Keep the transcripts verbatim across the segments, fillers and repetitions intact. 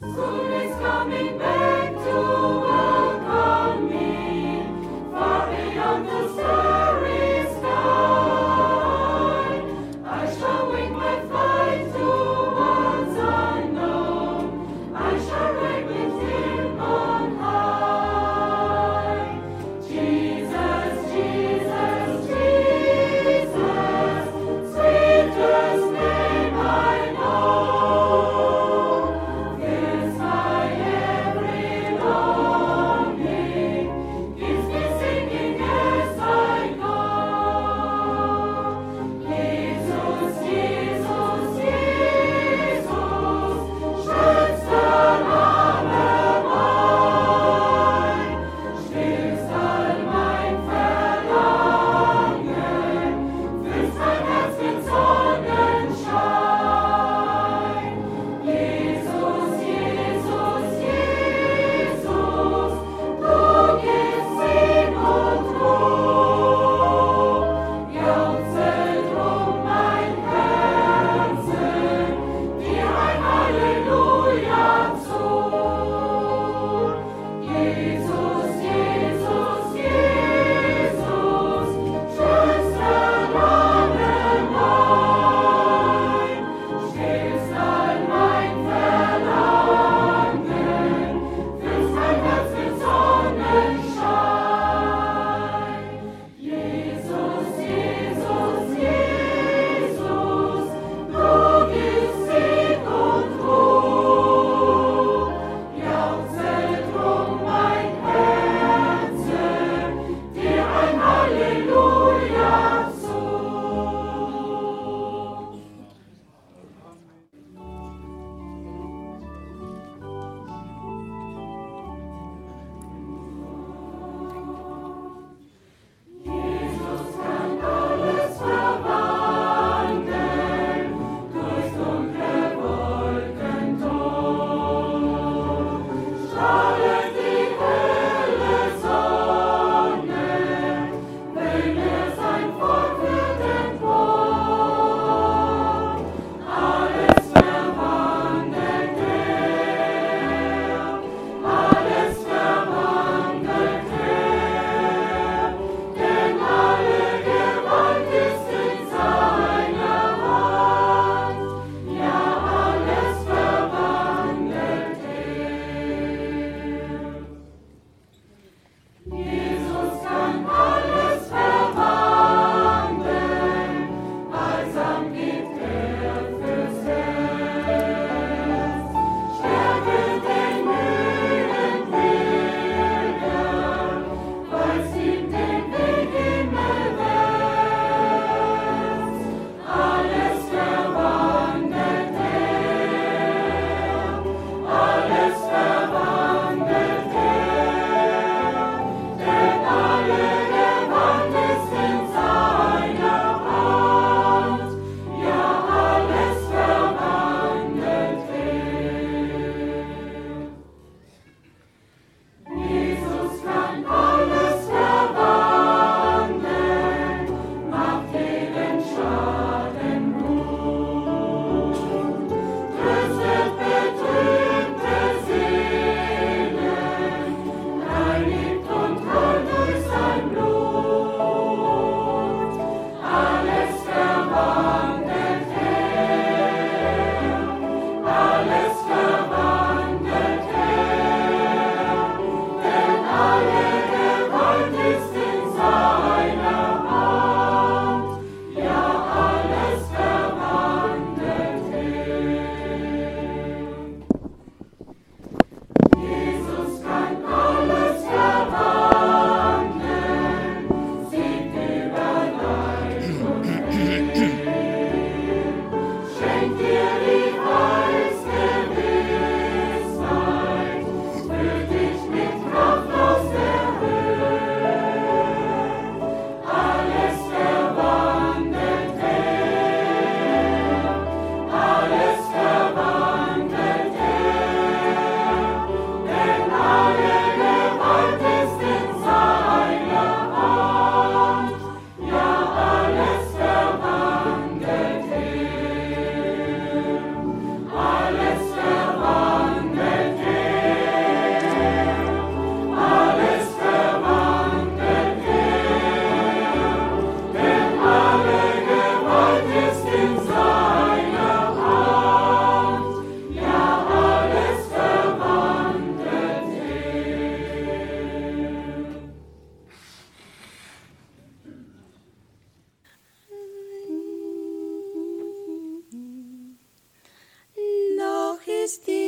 Soon is coming back to welcome me, far beyond the starry sky. I shall wing my flight towards unknown. I shall ride with him on high. Jesus, Jesus, Jesus, sweetest name I know. Yes, my every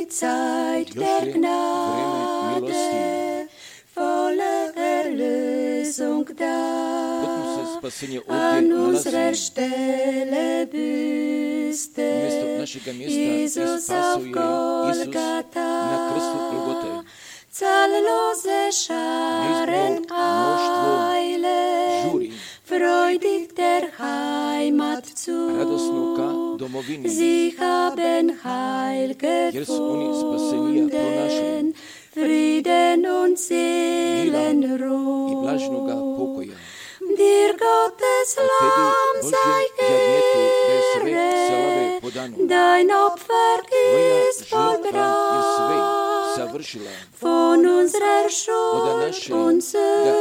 die Zeit der Gnade, volle Erlösung da. An unserer Stelle büßte Jesus auf Golgatha. Zahllose Scharen eilen, freudig der Heimat zu. Sie haben Heil gefunden, Frieden und Seelenruhe. Dir Gottes Lamm sei Ehre, dein Opfer ist vollbracht. Von unserer Schuld und Sünde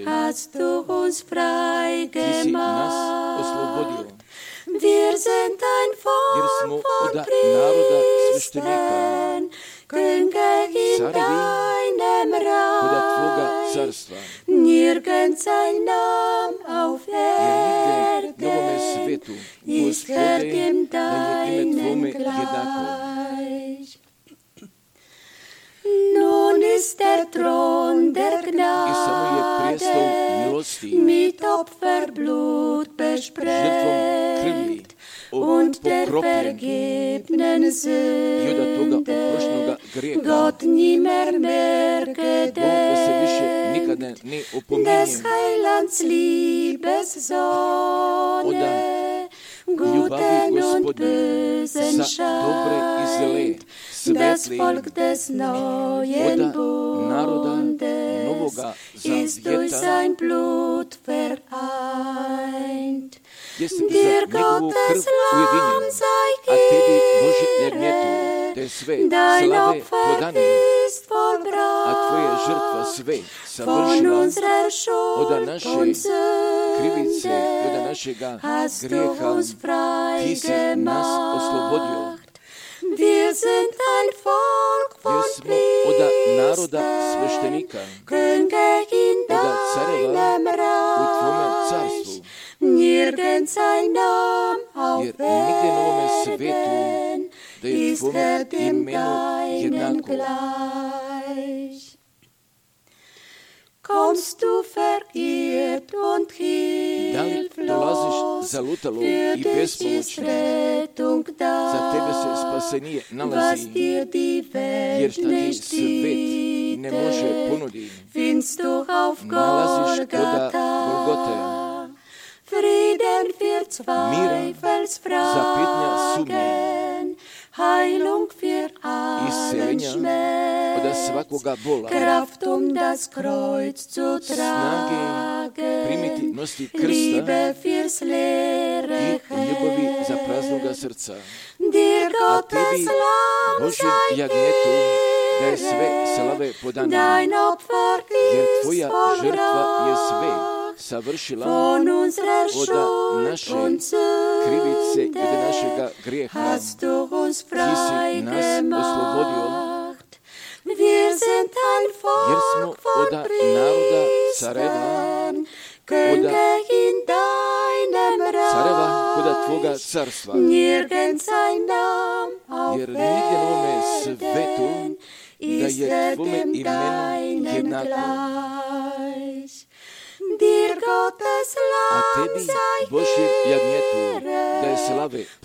hast du uns frei gemacht. Wir sind ein Volk von Priestern, Könige in deinem Reich. Nirgends ein Name auf Erden ist Herr dem deinen gleich. Nun ist der Thron der Gnade mit Opferblut besprengt und der vergebenen Sünden Gott nimmer mehr gedenkt. Des Heilands Liebessonne, Guten und Bösen scheint, das Volk des neuen Bundes ist durch sein Blut vereint. Dir Gottes Lamm sei Ehre, dein Opfer ist vollbracht. Von unserer Schuld und Sünde hast du uns frei gemacht. Wir sind ein Volk von Priestern, Könige in deinem Reich. Nirgends ein Name auf Erden ist Herr dem deinen gleich. Kommst du verirrt und hilflos, für dich ist Rettung da, was dir die Welt nicht bietet, findest du auf Golgatha. Frieden für Zweifelsfragen, Heilung für allen Schmerz, Kraft um das Kreuz zu tragen, Liebe fürs leere Herz. Dir Gottes Lamm sei Ehre, dein Opfer ist vollbracht. Von unserer Schuld und Sünde hast du uns frei gemacht. Wir sind ein Volk von Priestern, Könige in deinem Reich. Nirgends ein Name auf Erden ist Herr dem deinen gleich. Dir Gottes Lamm sei Ehre,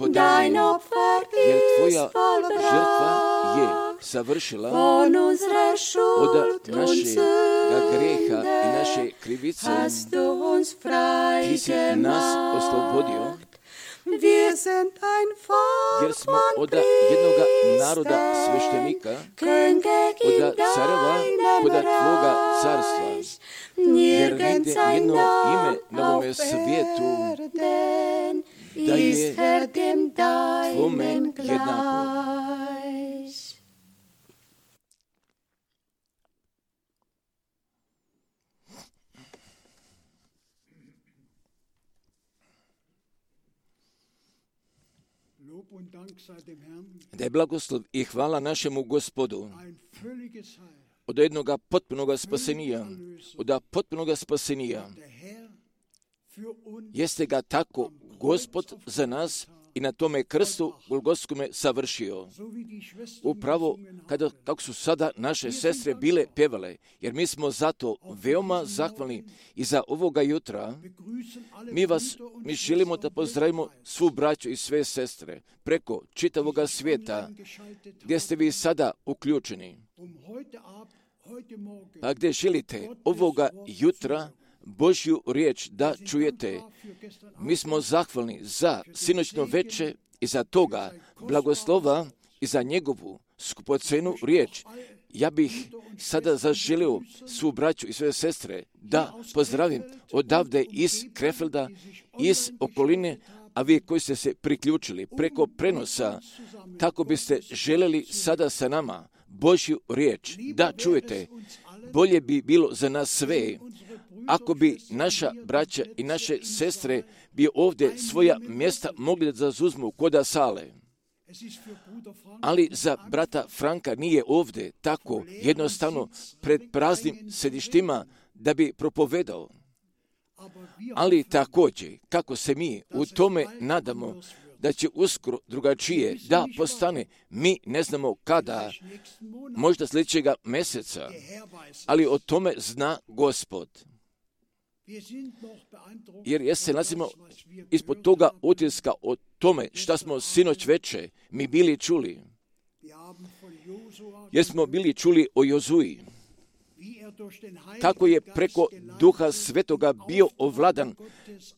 dein Opfer ist vollbracht. Von unserer Schuld und Sünde hast du uns frei gemacht. Wir sind ein Volk von Priestern, Könige in deinem Reich. Nirgends ein Name auf Erden ist Herr dem deinen gleich. Da je blagoslov i hvala našemu Gospodu od jednoga potpunoga spasenija, od potpunoga spasenija. Jeste ga tako Gospod za nas i na tome krstu Golgotskome savršio. Upravo kada, kako su sada naše sestre bile pjevale, jer mi smo zato veoma zahvalni i za ovoga jutra. Mi vas, mi želimo da pozdravimo svu braću i sve sestre preko čitavoga svijeta gdje ste vi sada uključeni. Pa gdje želite ovoga jutra Božju riječ da čujete. Mi smo zahvalni za sinoćno veče i za toga blagoslova i za njegovu skupocenu riječ. Ja bih sada zaželio svu braću i sve sestre da pozdravim odavde iz Krefelda, iz okoline, a vi koji ste se priključili preko prenosa, tako biste željeli sada sa nama Božju riječ da čujete. Bolje bi bilo za nas sve ako bi naša braća i naše sestre bi ovdje svoja mjesta mogli da zauzmu koda sale. Ali za brata Franka nije ovdje tako jednostavno pred praznim sedištima da bi propovedao. Ali također, kako se mi u tome nadamo da će uskoro drugačije da postane, mi ne znamo kada, možda sljedećega mjeseca, ali o tome zna Gospod. Jer ja se nalazimo ispod toga utiska o tome šta smo sinoć veče mi bili čuli. Jer smo bili čuli o Jozuji. Kako je preko Duha Svetoga bio ovladan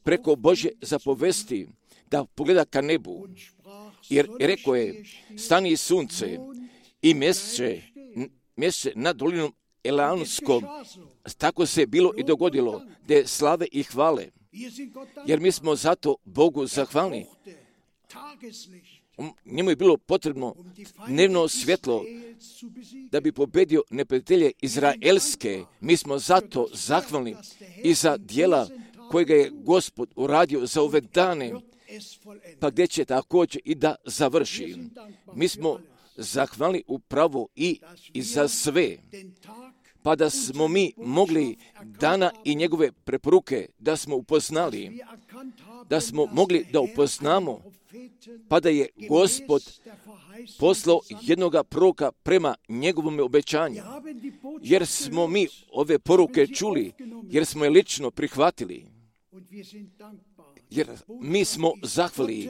preko Božje zapovesti da pogleda ka nebu. Jer rekao je, stani sunce i mjesece, mjesece nad dolinom Elaonskom. Tako se bilo i dogodilo, da slave i hvale. Jer mi smo zato Bogu zahvalni. Njemu je bilo potrebno dnevno svjetlo da bi pobedio neprijatelje izraelske. Mi smo zato zahvalni i za djela kojega je Gospod uradio za ove dane, pa gdje će također i da završi. Mi smo zahvalni upravo i, i za sve. Pa da smo mi mogli dana i njegove preporuke da smo upoznali, da smo mogli da upoznamo, pa da je Gospod poslao jednoga proroka prema njegovom obećanju. Jer smo mi ove poruke čuli, jer smo je lično prihvatili. Jer mi smo zahvali,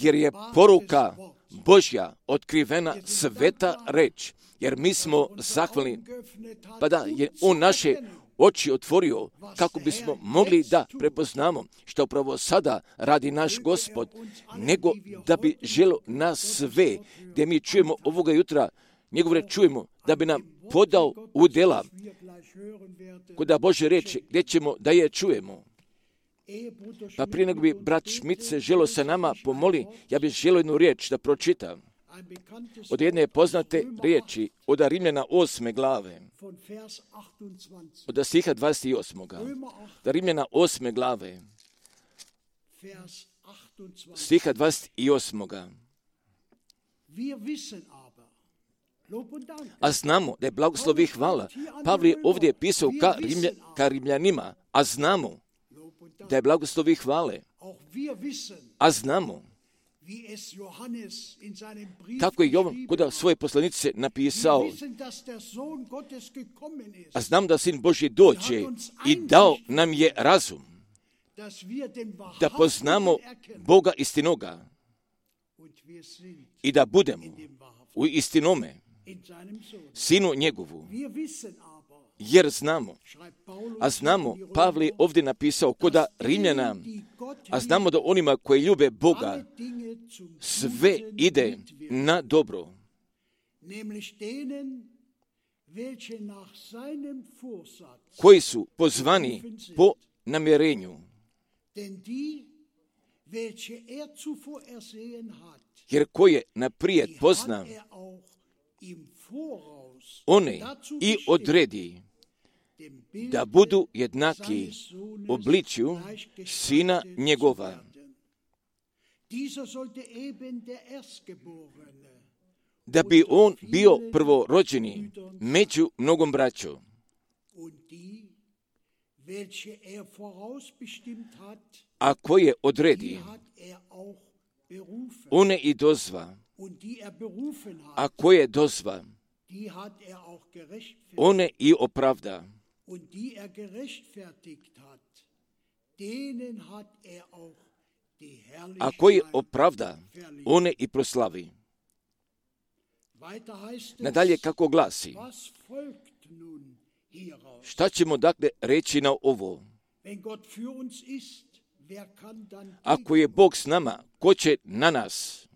jer je poruka Božja otkrivena sveta reč. Jer mi smo zahvalni, pa da je on naše oči otvorio kako bismo mogli da prepoznamo što upravo sada radi naš Gospod, nego da bi želio nas sve, gdje mi čujemo ovoga jutra, njegov reč čujemo, da bi nam podao udjela, kod Božje reči, gdje ćemo da je čujemo. Pa prije nego bi brat Šmit se želio sa nama pomoli, ja bih želio jednu riječ da pročitam. Od jedne poznate riječi, od Rimljana osme glave, od stiha dvadeset osmoga Od Rimljana osme glave, stiha dvadeset osmoga A znamo da je blagoslov i hvala. Pavle je ovdje pisao ka, Rimlja, ka Rimljanima, a znamo da je blagoslov i hvale. A znamo kako je Jovan kod svoje poslanice napisao, a znam da Sin Božji dođe i dao nam je razum da poznamo Boga istinoga i da budemo u istinome Sinu njegovu. Jer znamo, a znamo, Pavle je ovdje napisao koda Rimljana, a znamo da onima koji ljube Boga sve ide na dobro. Koji su pozvani po namjerenju. Jer ko je naprijed pozna, one i odredi da budu jednaki obličju Sina njegova. Da bi on bio prvorođeni među mnogom braćom. A koje odredi, one i dozva, a koje dozva, one i opravda, a koje opravda, one i proslavi. Nadalje kako glasi, šta ćemo dakle reći na ovo? Ako je Bog s nama, ko će na nas?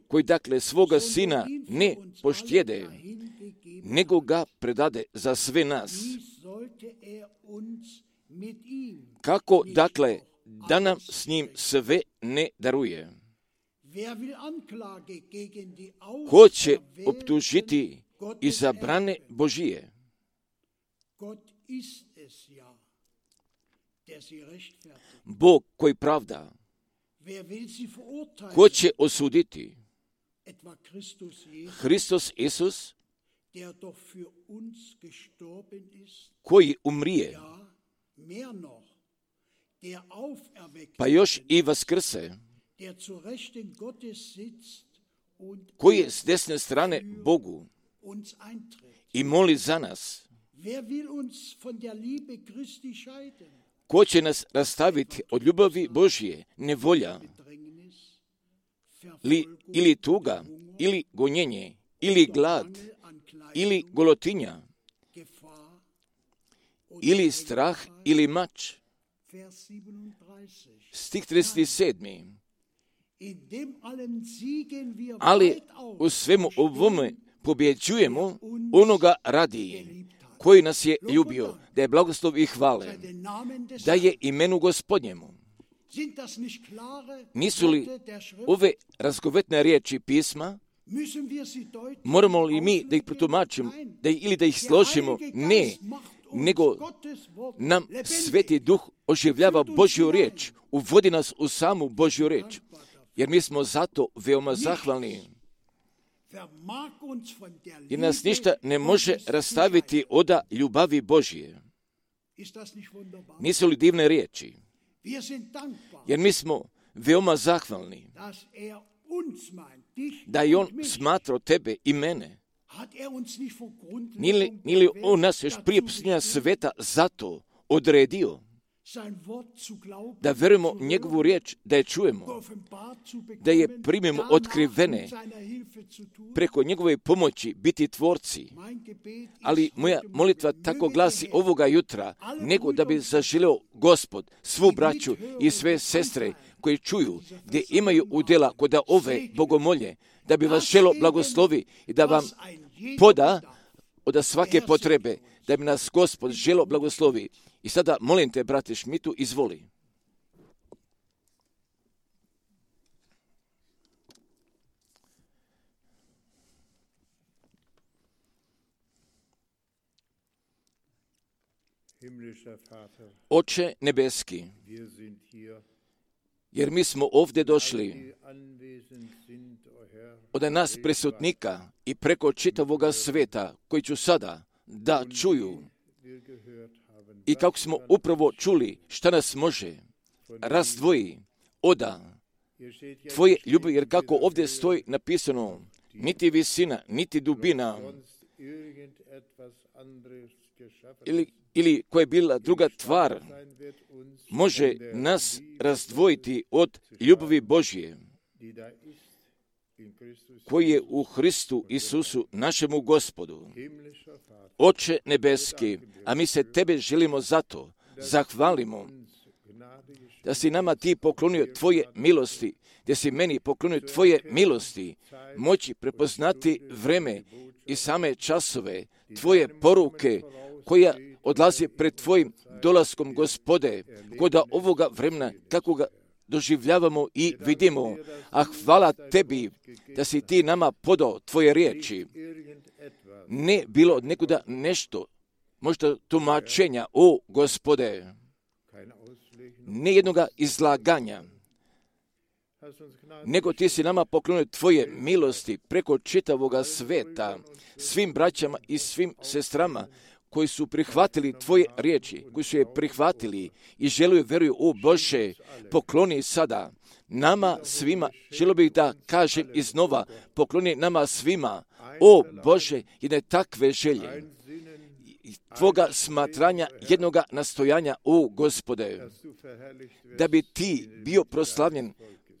Koji dakle svoga sina ne poštjede, nego ga predade za sve nas. Kako dakle da nam s njim sve ne daruje? Ko će optužiti izabrane Božije? Bog koji pravda. Ko će osuditi? Hristos Isus, koji umrije, pa još i vaskrse, koji je s desne strane Bogu i moli za nas. Ko će nas rastaviti od ljubavi Božje? Nevolja, li, ili tuga, ili gonjenje, ili glad, ili golotinja, ili strah, ili mač. Stih trideset sedam. Ali u svemu ovome pobjeđujemo onoga radi, koji nas je ljubio, da je blagoslov i hvale, da je imenu Gospodnjemu. Nisu li ove razgovetne riječi pisma? Moramo li mi da ih protumačimo, da ili da ih složimo? Ne, nego nam Sveti Duh oživljava Božju riječ, uvodi nas u samu Božju riječ, jer mi smo zato veoma zahvalni. Jer nas ništa ne može rastaviti od ljubavi Božje. Nisu li divne riječi? Jer mi smo veoma zahvalni da je On smatrao tebe i mene. Nije li, nije li On nas još prije posljednja sveta zato odredio da verujemo njegovu riječ, da je čujemo, da je primimo otkrivene, preko njegove pomoći biti tvorci. Ali moja molitva tako glasi ovoga jutra, nego da bi zaželeo Gospod svu braću i sve sestre koji čuju, gdje imaju udjela kod ove bogomolje, da bi vas želo blagoslovi i da vam poda od svake potrebe, da bi nas Gospod želo blagoslovi. I sada molim te, brate Šmitu, izvoli. Oče nebeski, jer mi smo ovdje došli od nas prisutnika i preko čitavoga sveta, koji ću sada da čuju, i kako smo upravo čuli šta nas može razdvoji oda tvoje ljubavi, jer kako ovdje stoji napisano, niti visina, niti dubina, ili, ili koja je bila druga tvar, može nas razdvojiti od ljubavi Božje, koji je u Hristu Isusu, našemu Gospodu. Oče nebeski, a mi se tebe želimo zato, zahvalimo, da si nama ti poklonio tvoje milosti, da si meni poklonio tvoje milosti, moći prepoznati vreme i same časove, tvoje poruke, koja odlazi pred tvojim dolaskom, Gospode, kod ovoga vremena, kako ga doživljavamo i vidimo. A hvala tebi da si ti nama podao tvoje riječi. Ne bilo od nekuda nešto, možda tumačenja, o Gospode, ne jednoga izlaganja, nego ti si nama poklonio tvoje milosti preko čitavoga sveta, svim braćama i svim sestrama koji su prihvatili Tvoje riječi, koji su je prihvatili i žele veruju, o Bože, pokloni sada nama svima. Želio bih da kažem iznova, pokloni nama svima, o Bože, jedne takve želje, Tvoga smatranja, jednoga nastojanja, o Gospode, da bi Ti bio proslavljen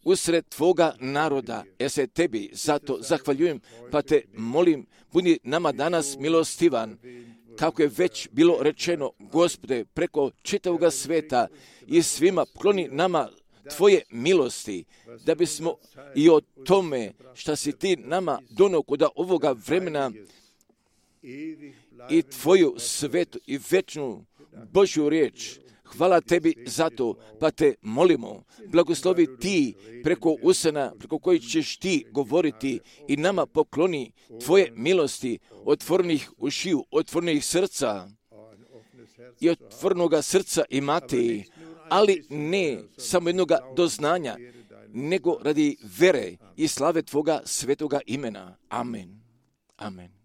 usred Tvoga naroda. Ja se Tebi zato zahvaljujem, pa Te molim, budi nama danas milostivan, kako je već bilo rečeno, Gospode, preko čitavoga sveta i svima pokloni nama Tvoje milosti, da bismo i o tome što si Ti nama donio kod ovoga vremena i Tvoju svetu i večnu Božju riječ. Hvala Tebi za to, pa Te molimo, blagoslovi Ti preko usana, preko kojih ćeš Ti govoriti i nama pokloni Tvoje milosti, otvornih ušiju, otvornih srca i otvornoga srca imati, ali ne samo jednoga doznanja, nego radi vere i slave Tvoga svetoga imena. Amen. Amen.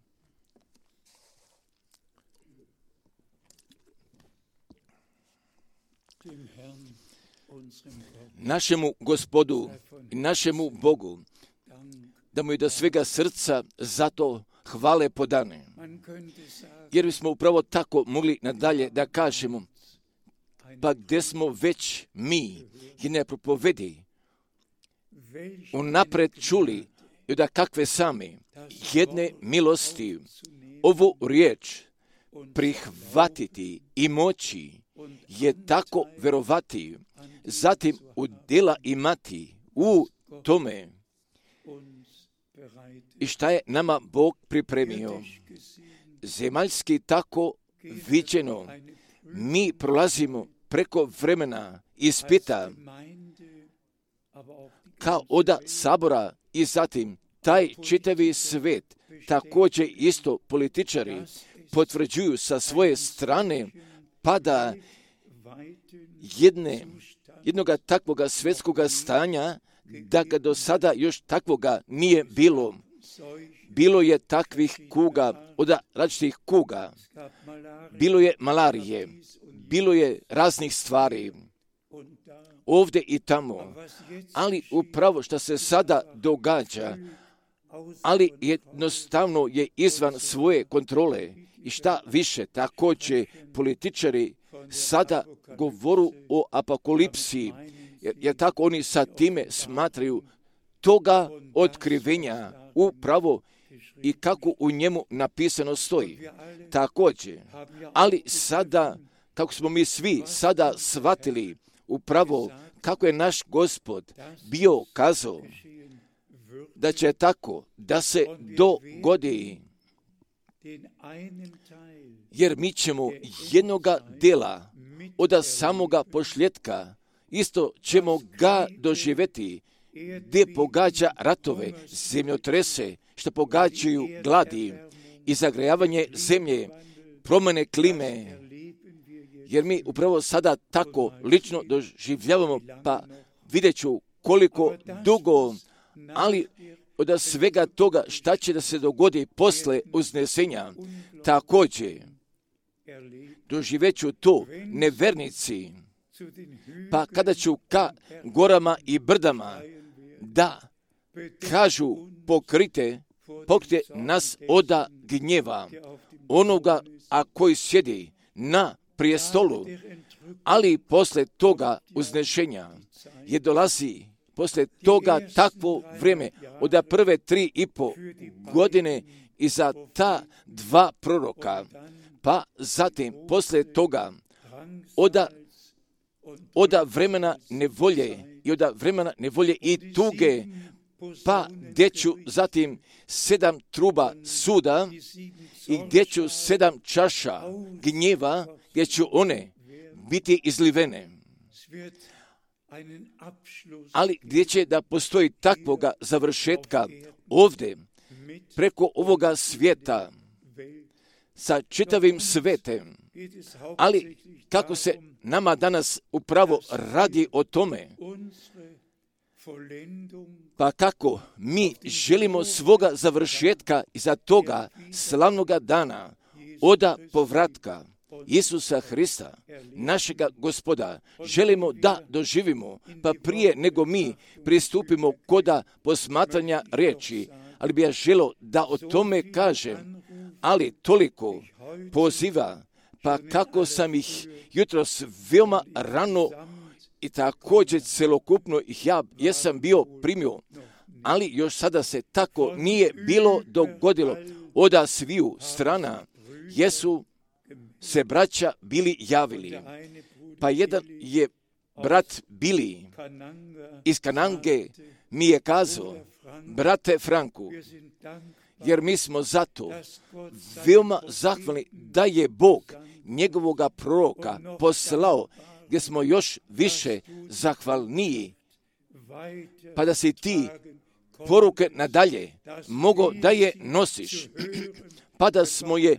Našemu Gospodu i našemu Bogu, da mu je do svega srca zato hvale podane. Jer bismo upravo tako mogli nadalje da kažemo, pa gdje smo već mi i ne propovedi unapred čuli i da kakve sami jedne milosti ovu riječ prihvatiti i moći je tako verovati, zatim u djela imati u tome i šta je nama Bog pripremio. Zemaljski tako viđeno, mi prolazimo preko vremena ispita kao oda sabora i zatim taj čitavi svet, također isto političari potvrđuju sa svoje strane pada jedne, jednoga takvoga svjetskoga stanja, da ga do sada još takvoga nije bilo. Bilo je takvih kuga, od različitih kuga, bilo je malarije, bilo je raznih stvari, ovdje i tamo, ali upravo što se sada događa, ali jednostavno je izvan svoje kontrole i šta više, također političari sada govoru o apokalipsi, jer, jer tako oni sa time smatraju toga otkrivenja upravo i kako u njemu napisano stoji. Također, ali sada, kako smo mi svi sada shvatili upravo kako je naš Gospod bio kazao da će tako da se dogodi, jer mi ćemo jednoga dela od samoga pošljetka isto ćemo ga doživjeti, gdje pogađa ratove, zemljotrese, što pogađaju gladi i zagrejavanje zemlje, promjene klime, jer mi upravo sada tako lično doživljavamo, pa vidjet ću koliko dugo, ali od svega toga šta će da se dogodi posle uznesenja, također doživjet ću to nevernici, pa kada ću ka gorama i brdama da kažu pokrite, pokrite nas oda gnjeva, onoga a koji sjedi na prijestolu, ali posle toga uznešenja je dolazi, posle toga takvo vrijeme, od prve tri i po godine i za ta dva proroka, pa zatim posle toga oda, oda vremena nevolje i oda vremena nevolje i tuge, pa gdje ću zatim sedam truba suda i gdje ću sedam čaša gnjeva, gdje ću one biti izlivene. Ali gdje će da postoji takvoga završetka ovdje, preko ovoga svijeta, sa čitavim svetem, ali kako se nama danas upravo radi o tome, pa kako mi želimo svoga završetka iza toga slavnoga dana, oda povratka Isusa Hrista, našega Gospoda, želimo da doživimo, pa prije nego mi pristupimo koda posmatranja riječi, ali bi ja želio da o tome kažem, ali toliko poziva, pa kako sam ih jutros veoma rano i također celokupno ih ja jesam bio primio, ali još sada se tako nije bilo dogodilo. Oda sviju strana jesu se braća bili javili, pa jedan je brat Bili iz Kanange mi je kazao, brate Franku, jer mi smo zato veoma zahvalni da je Bog njegovoga proroka poslao, gdje smo još više zahvalniji, pa da si ti poruke nadalje mogo da je nosiš, pa da smo je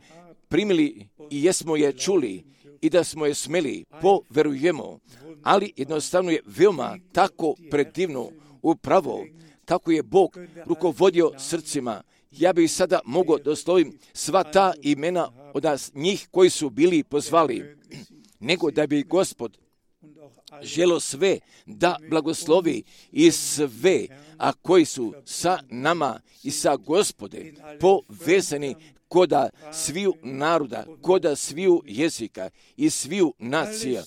primili i jesmo je čuli i da smo je smeli, poverujemo, ali jednostavno je veoma tako predivno upravo kako je Bog rukovodio srcima. Ja bih sada mogao doslovim sva ta imena od njih koji su bili pozvali, nego da bi Gospod želo sve da blagoslovi i sve, a koji su sa nama i sa Gospode povezani koda sviju naroda, koda sviju jezika i sviju nacija.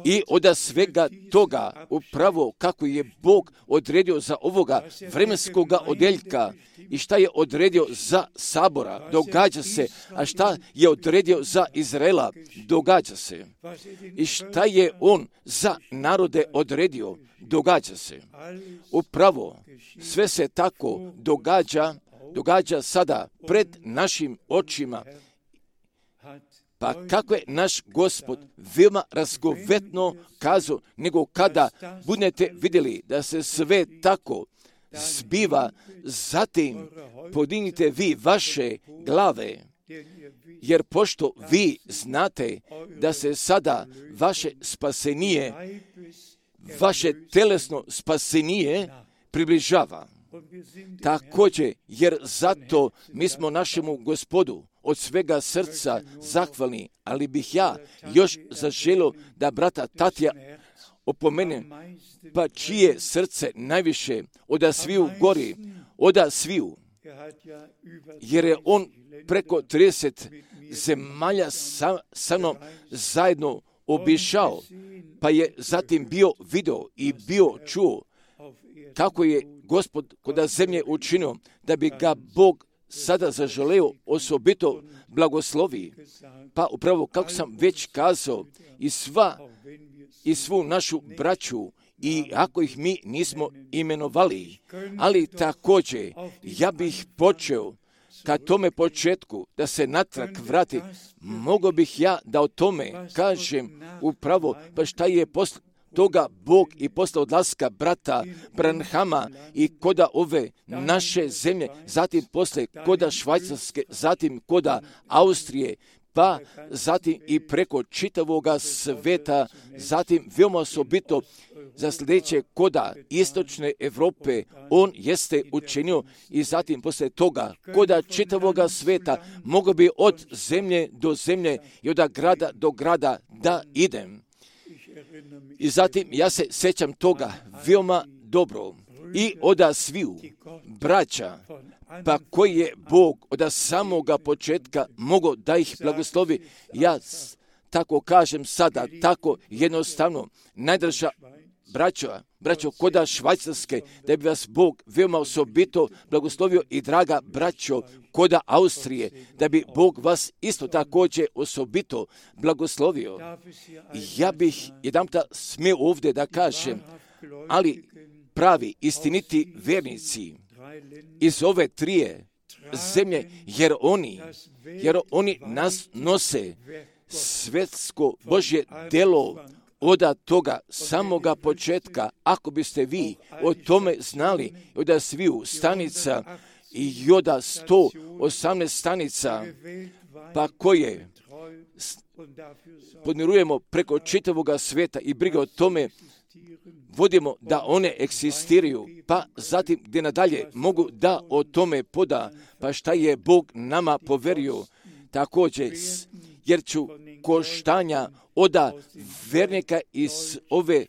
I od svega toga, upravo kako je Bog odredio za ovoga vremenskoga odeljka i šta je odredio za sabora, događa se, a šta je odredio za Izraela, događa se. I šta je on za narode odredio, događa se. Upravo sve se tako događa, događa sada pred našim očima. Pa kako je naš Gospod veoma razgovetno kazao, nego kada budete vidjeli da se sve tako zbiva, zatim podignite vi vaše glave, jer pošto vi znate da se sada vaše spasenije, vaše telesno spasenije približava. Također, jer zato mi smo našemu Gospodu od svega srca zahvalni, ali bih ja još zaželio da brata Tatija opomenem, pa čije srce najviše oda sviju gori, oda sviju, jer je on preko trideset zemalja sa, sa mnom zajedno obišao, pa je zatim bio video i bio čuo kako je Gospod kod zemlje učinio, da bi ga Bog sada zaželeo osobito blagoslovi. Pa upravo kako sam već kazao, i sva i svu našu braću, i ako ih mi nismo imenovali, ali također ja bih počeo ka tome početku da se natrag vrati, mogo bih ja da o tome kažem upravo, pa šta je posle toga Bog i posle odlaska brata Branhama i koda ove naše zemlje, zatim posle koda Švajcarske, zatim koda Austrije, pa zatim i preko čitavoga sveta, zatim veoma osobito za sljedeće koda istočne Europe, on jeste učinio i zatim posle toga koda čitavoga sveta mogo bi od zemlje do zemlje i od grada do grada da idem. I zatim ja se sjećam toga veoma dobro i oda sviju braća, pa koji je Bog od samoga početka mogao da ih blagoslovi. Ja tako kažem sada, tako jednostavno, najdraža braćo, braćo koda Švajcarske, da bi vas Bog veoma osobito blagoslovio i draga braćo koda Austrije, da bi Bog vas isto također osobito blagoslovio. Ja bih jedanputa smio ovdje da kažem, ali pravi istiniti vjernici iz ove trije zemlje, jer oni, jer oni nas nose svetsko Božje delo od toga samoga početka. Ako biste vi o tome znali, od sviju stanica i od sto osamnaest stanica, pa koje podmirujemo preko čitavoga sveta i briga o tome vodimo da one eksistiraju, pa zatim gdje nadalje mogu da o tome poda, pa šta je Bog nama poverio, također, jer ću koštanja oda vernika iz ove,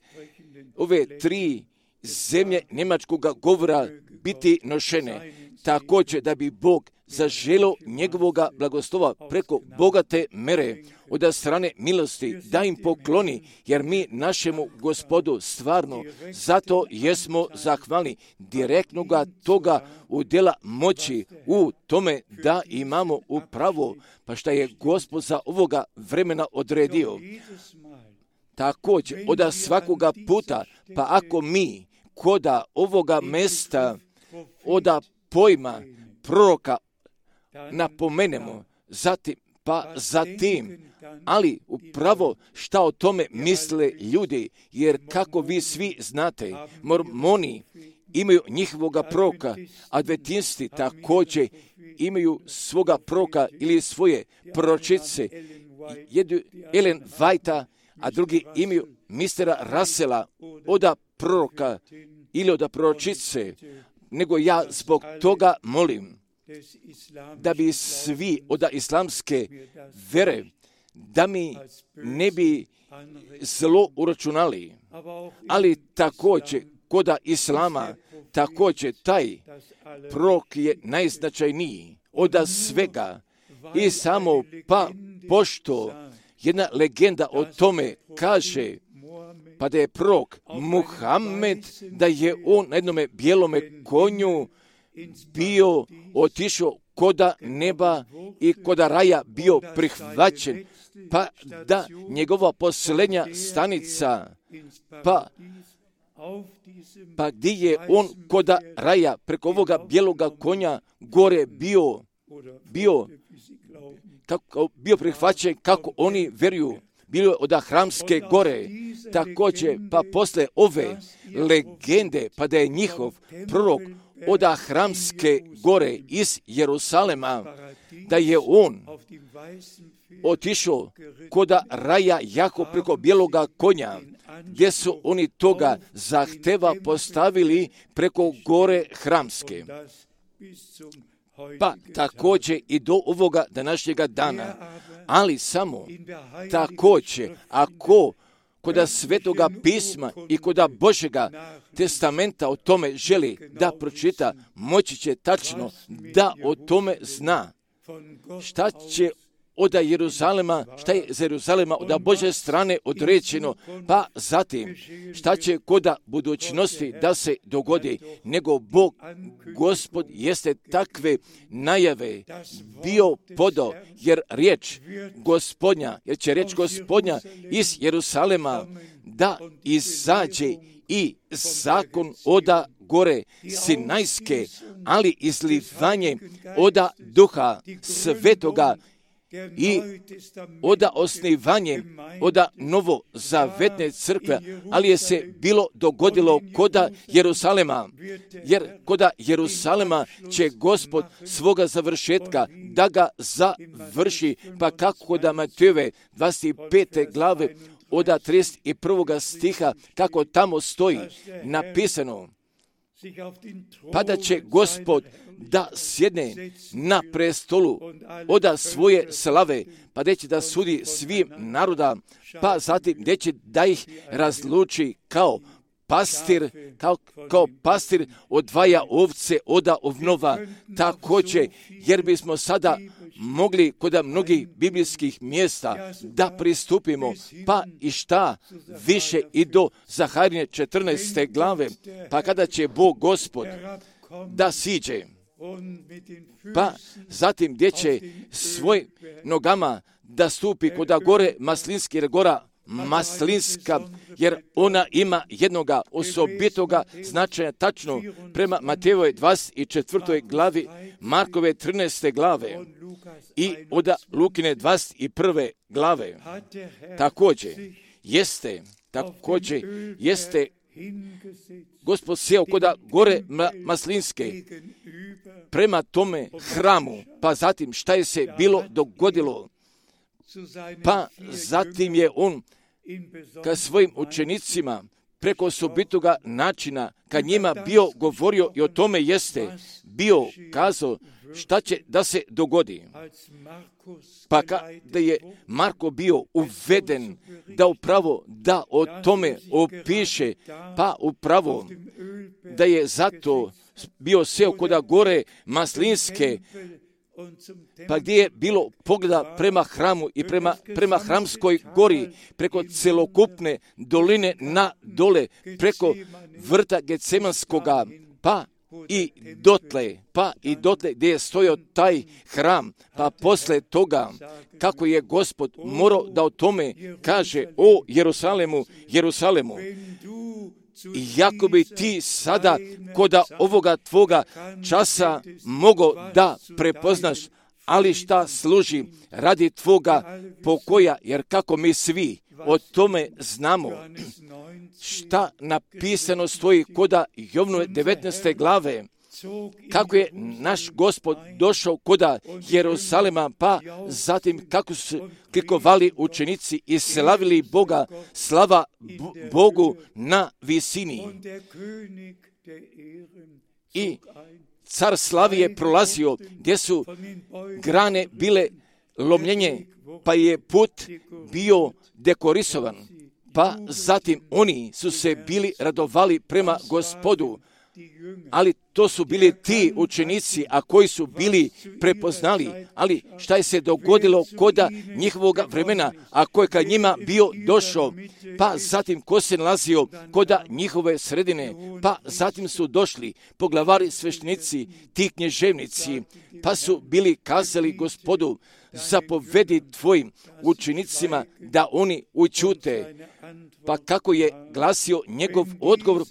ove tri zemlje njemačkog govora biti nošene. Također da bi Bog zaželio njegovoga blagoslova preko bogate mere od strane milosti da im pokloni, jer mi našemu Gospodu stvarno zato jesmo zahvalni direktnoga toga udjela moći u tome da imamo upravo, pa šta je Gospod za ovoga vremena odredio. Također od svakoga puta, pa ako mi koda ovoga mesta oda pojma proroka napomenemo, zatim, pa zatim, ali upravo šta o tome misle ljudi, jer kako vi svi znate, mormoni imaju njihovoga proroka, adventisti također imaju svoga proroka ili svoje proročice, jedu Ellen Whitea, a drugi imaju mistera Russella oda proroka ili oda proročice, nego ja zbog toga molim da bi svi od islamske vere, da mi ne bi zlo uračunali, ali također koda islama, također taj prorok je najznačajniji od svega i samo pa pošto jedna legenda o tome kaže, pa da je prorok Muhammed, da je on na jednome bijelome konju bio otišao koda neba i koda raja bio prihvaćen, pa da njegova posljednja stanica, pa, pa gdje je on koda raja preko ovoga bijeloga konja gore bio, bio, kako, bio prihvaćen kako oni vjeruju, bilo od Hramske gore, također pa posle ove legende, pa da je njihov prorok od Hramske gore iz Jerusalema, da je on otišao koda raja jako preko bijeloga konja, gdje su oni toga zahteva postavili preko gore Hramske. Pa također i do ovoga današnjega dana, ali samo također ako koda Svetoga pisma i koda Božjega testamenta o tome želi da pročita, moći će tačno da o tome zna šta će od Jeruzalema, šta je za Jeruzalema od Božje strane određeno, pa zatim šta će koda budućnosti da se dogodi, nego Bog, Gospod, jeste takve najave bio podao, jer riječ Gospodnja, jer će riječ Gospodnja iz Jerusalema da izađe i zakon oda gore Sinajske, ali izlivanje oda Duha Svetoga i oda osnivanje oda novozavetne crkve, ali je se bilo dogodilo koda Jerusalema, jer koda Jerusalema će Gospod svoga završetka da ga završi, pa kako koda Matejove dvadeset pete glave oda trideset prvoga stiha, kako tamo stoji napisano, pa da će Gospod da sjedne na prestolu oda svoje slave, pa da će da sudi svim naroda, pa zatim gdje će da ih razluči kao pastir, kao, kao pastir odvaja ovce oda ovnova, također, jer bismo sada mogli kod mnogih biblijskih mjesta da pristupimo, pa i šta više i do Zaharije četrnaeste glave, pa kada će Bog Gospod da siđe, pa zatim gdje će svoj nogama da stupi kod gore Maslinski, jer gora Maslinska, jer ona ima jednoga osobitoga značaja tačno prema Matejovoj dvadeset četvrtoj glavi, Markove trinaeste glave i od Lukine dvadeset prve glave. Također jeste, također jeste Gospod sjeo koda gore Maslinske prema tome hramu, pa zatim šta je se bilo dogodilo, pa zatim je on ka svojim učenicima preko osobitoga načina, kad njima bio govorio i o tome jeste bio kazao šta će da se dogodi. Pa kada je Marko bio uveden da upravo da o tome opiše, pa upravo da je zato bio seo koda gore Maslinske, pa gdje je bilo pogleda prema hramu i prema, prema Hramskoj gori, preko celokupne doline na dole, preko vrta Gecemanskoga, pa i dotle, pa i dotle gdje je stojao taj hram, pa posle toga kako je Gospod morao da o tome kaže o Jerusalemu, Jerusalemu. Iako bi ti sada koda ovoga tvoga časa mogao da prepoznaš, ali šta služi radi tvoga pokoja, jer kako mi svi o tome znamo, šta napisano stoji koda Jovnove devetnaeste glave, kako je naš Gospod došao koda Jerusalema, pa zatim kako su klikovali učenici i slavili Boga, slava Bogu na visini. I car slavi je prolazio gdje su grane bile lomljenje, pa je put bio dekorisovan, pa zatim oni su se bili radovali prema Gospodu. Ali to su bili ti učenici, a koji su bili prepoznali. Ali šta je se dogodilo koda njihovoga vremena, a ko je kad njima bio došao, pa zatim ko se nalazio koda njihove sredine, pa zatim su došli poglavari sveštenici, ti knježevnici, pa su bili kazali Gospodu, zapovedi tvojim učenicima da oni ućute. Pa kako je glasio njegov odgovor,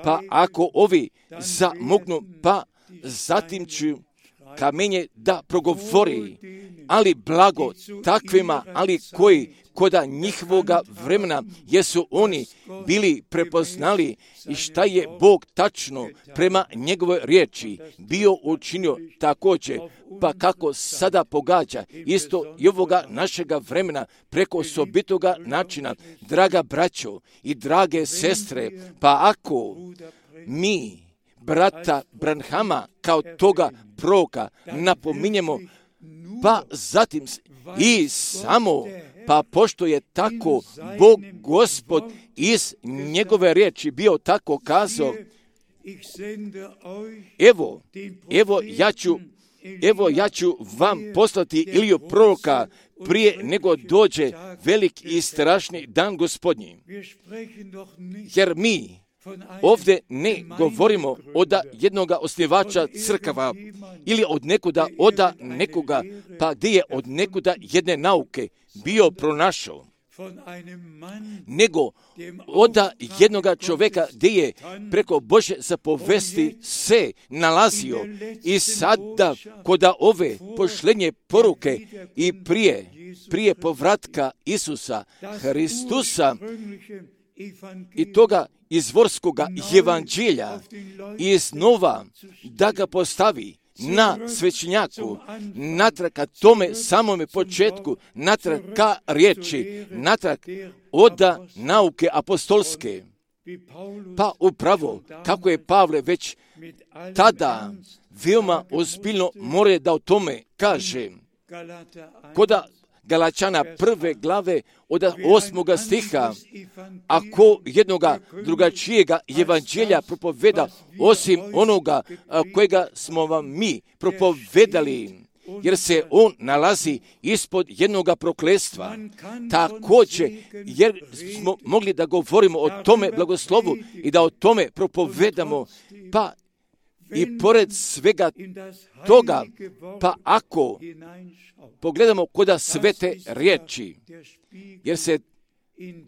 pa ako ovi zamuknu, pa zatim ću kamenje da progovori, ali blago takvima, ali koji koda njihovoga vremena jesu oni bili prepoznali i šta je Bog tačno prema njegove riječi bio učinio također, pa kako sada pogađa isto i ovoga našega vremena preko osobitoga načina, draga braćo i drage sestre, pa ako mi brata Branhama kao toga proroka napominjemo, pa zatim i samo, pa pošto je tako Bog Gospod iz njegove riječi bio tako kazao, evo, evo ja ću, evo ja ću vam poslati Iliju proroka prije nego dođe velik i strašni dan Gospodnji. Jer mi ovdje ne govorimo od jednoga osnivača crkava ili od nekuda oda nekoga, pa gdje je od nekuda jedne nauke bio pronašao, nego od jednoga čovjeka gdje je preko Božje zapovesti se nalazio i sada koda ove pošlenje poruke i prije, prije povratka Isusa Hristusa i toga izvorskoga evanđelja iznova da ga postavi na svećenjaku, natrag ka tome samome početku, natrag ka riječi, natrag oda nauke apostolske. Pa upravo, kako je Pavle već tada veoma ozbiljno more da o tome kaže, koda Galačana prve glave od osmoga stiha, ako jednoga drugačijega evanđelja propoveda osim onoga kojega smo vam mi propovedali, jer se on nalazi ispod jednoga prokletstva. Također, jer smo mogli da govorimo o tome blagoslovu i da o tome propovedamo, pa i pored svega toga, pa ako pogledamo koda svete riječi, jer se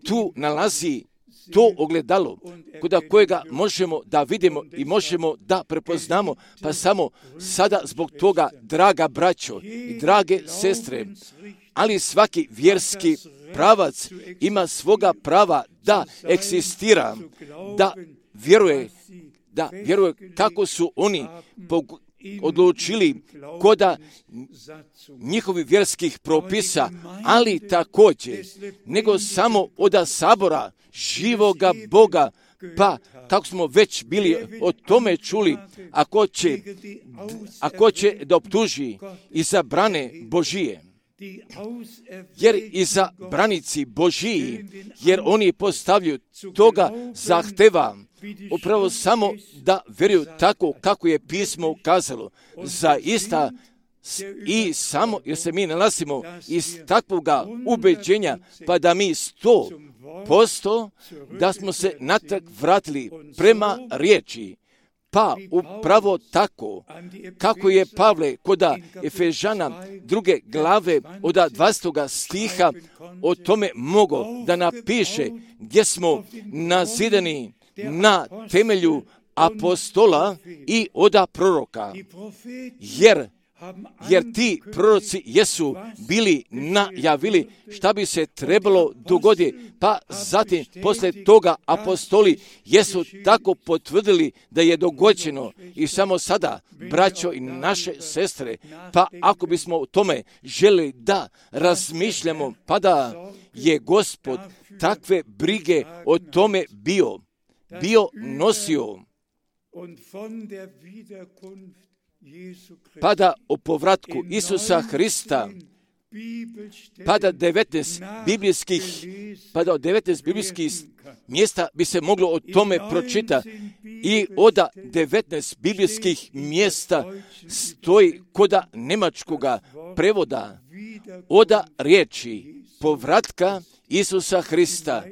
tu nalazi to ogledalo koda kojega možemo da vidimo i možemo da prepoznamo, pa samo sada zbog toga, draga braćo i drage sestre, ali svaki vjerski pravac ima svoga prava da eksistira, da vjeruje, da vjeruje kako su oni pog- odlučili koda njihovih vjerskih propisa, ali također nego samo od sabora živoga Boga, Pa, kako smo već bili o tome čuli, ako će, ako će da optuži i za brane Božije, jer i za branici Božiji, jer oni postavljaju toga zahteva upravo samo da vjeruju tako kako je pismo ukazalo. Zaista i samo jer se mi nalazimo iz takvoga ubeđenja, pa da mi sto posto da smo se natrag vratili prema riječi. Pa upravo tako, kako je Pavle koda Efežana druge glave od dvadestog stiha o tome mogo da napiše gdje smo nazidani na temelju apostola i oda proroka, jer jer ti proroci jesu bili najavili šta bi se trebalo dogoditi, pa zatim poslije toga apostoli jesu tako potvrdili da je dogođeno. I samo sada, braćo i naše sestre, pa ako bismo o tome želi da razmišljamo, pa da je Gospod takve brige o tome bio, bio nosio, pa da o povratku Isusa Hrista, pa da devetnaest biblijskih, pa da od devetnaest biblijskih mjesta bi se moglo o tome pročitati i od devetnaest biblijskih mjesta stoji koda njemačkoga prevoda od riječi povratka Isusa Hrista,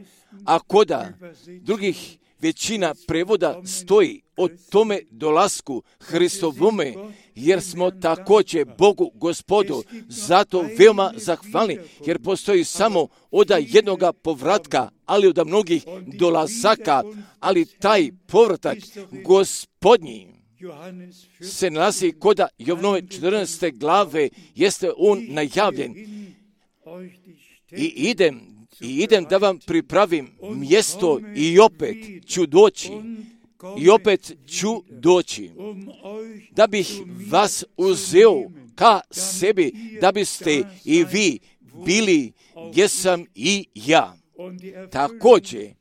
a koda drugih većina prevoda stoji o tome dolasku Hristovome, jer smo također Bogu Gospodu zato veoma zahvalni, jer postoji samo od jednoga povratka, ali od mnogih dolazaka, ali taj povratak Gospodnji se nalazi koda Jovnove četrnaeste glave, jeste on najavljen. I idem I idem da vam pripravim mjesto i opet ću doći, i opet ću doći, da bih vas uzeo ka sebi, da biste i vi bili gdje sam i ja. Također,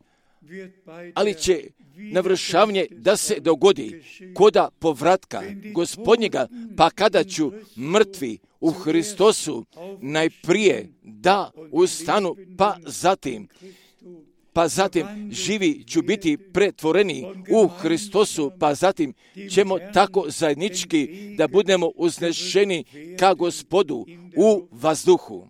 ali će navršavanje da se dogodi koda povratka Gospodnjega, pa kada ću mrtvi u Hristosu najprije da ustanu, pa zatim, pa zatim živi ću biti pretvoreni u Hristosu, pa zatim ćemo tako zajednički da budemo uznešeni ka Gospodu u vazduhu.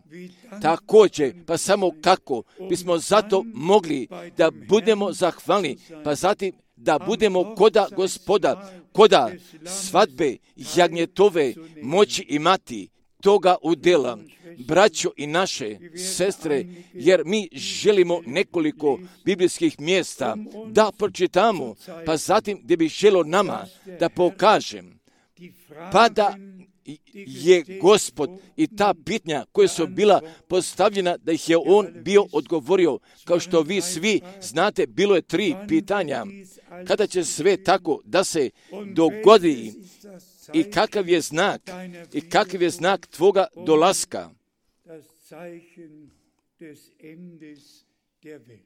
Također, pa samo kako bismo zato mogli da budemo zahvalni, pa zatim da budemo koda Gospoda, koda svadbe jagnjetove moći imati toga udjela, braćo i naše sestre, jer mi želimo nekoliko biblijskih mjesta da pročitamo, pa zatim gdje bih želio nama da pokažem, pa da je Gospod i ta pitanja koja su bila postavljena, da ih je on bio odgovorio. Kao što vi svi znate, bilo je tri pitanja. Kada će sve tako da se dogodi i kakav je znak, i kakav je znak tvoga dolaska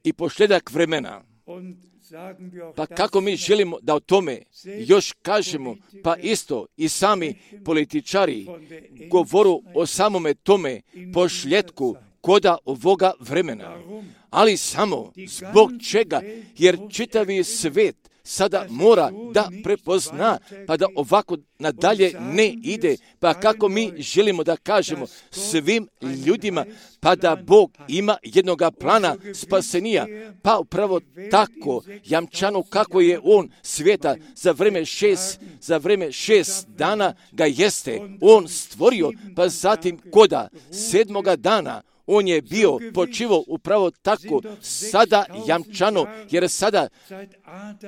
i pošljedak vremena. Pa kako mi želimo da o tome još kažemo, pa isto i sami političari govoru o samome tome pošljetku koda ovoga vremena. Ali samo zbog čega, jer čitavi svet sada mora da prepozna, pa da ovako nadalje ne ide, pa kako mi želimo da kažemo svim ljudima, pa da Bog ima jednoga plana spasenija, pa upravo tako jamčano kako je on svijeta za vreme šest, za vreme šest dana ga jeste on stvorio, pa zatim koda sedmoga dana on je bio počivao upravo tako sada jamčano, jer sada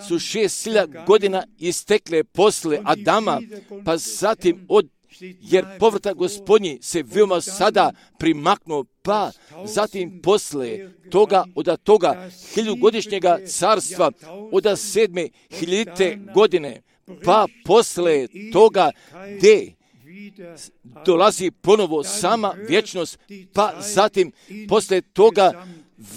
su šest hiljada godina istekle posle Adama, pa zatim od, jer povratak Gospodnji se veoma sada primaknuo, pa zatim posle toga, od toga hiljugodišnjega carstva, od sedme hiljadite godine, pa posle toga gdje dolazi ponovo sama vječnost, pa zatim posle toga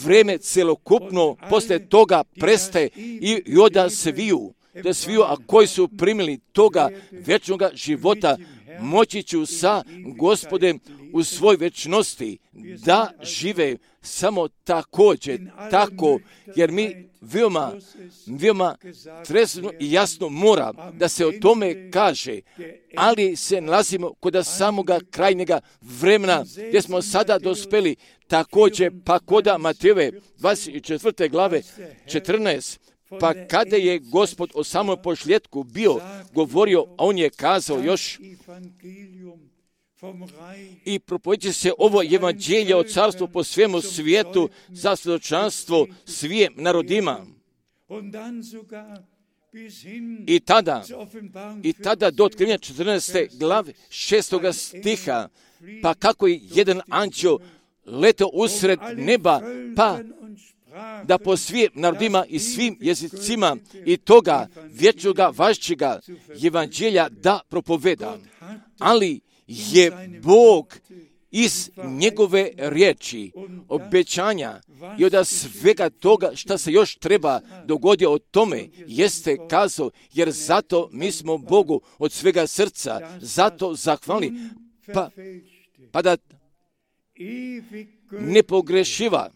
vreme celokupno poslije toga prestaje i, i onda sviju, da sviju, a koji su primili toga vječnoga života, moći ću sa Gospodem u svoj večnosti da žive samo također, tako, jer mi veoma, veoma trezno i jasno mora da se o tome kaže, ali se nalazimo kod samoga krajnjega vremena, gdje smo sada dospeli, također pa kod Matejove dvadeset četvrte glave četrnaest, pa kada je Gospod o samom posljetku bio govorio, a on je kazao još i propovedće se ovo evanđelje o carstvu po svemu svijetu za svjedočanstvo svim narodima. I tada, i tada do otkrivenja četrnaeste glave šestoga stiha, pa kako je jedan anđeo letao usred neba, pa da po svim narodima i svim jezicima i toga vječnoga važćega evanđelja da propoveda. Ali je Bog iz njegove riječi, obećanja i od svega toga što se još treba dogoditi o tome, jeste kazao, jer zato mi smo Bogu od svega srca, zato zahvalni, pa, pa da nepogrešiva,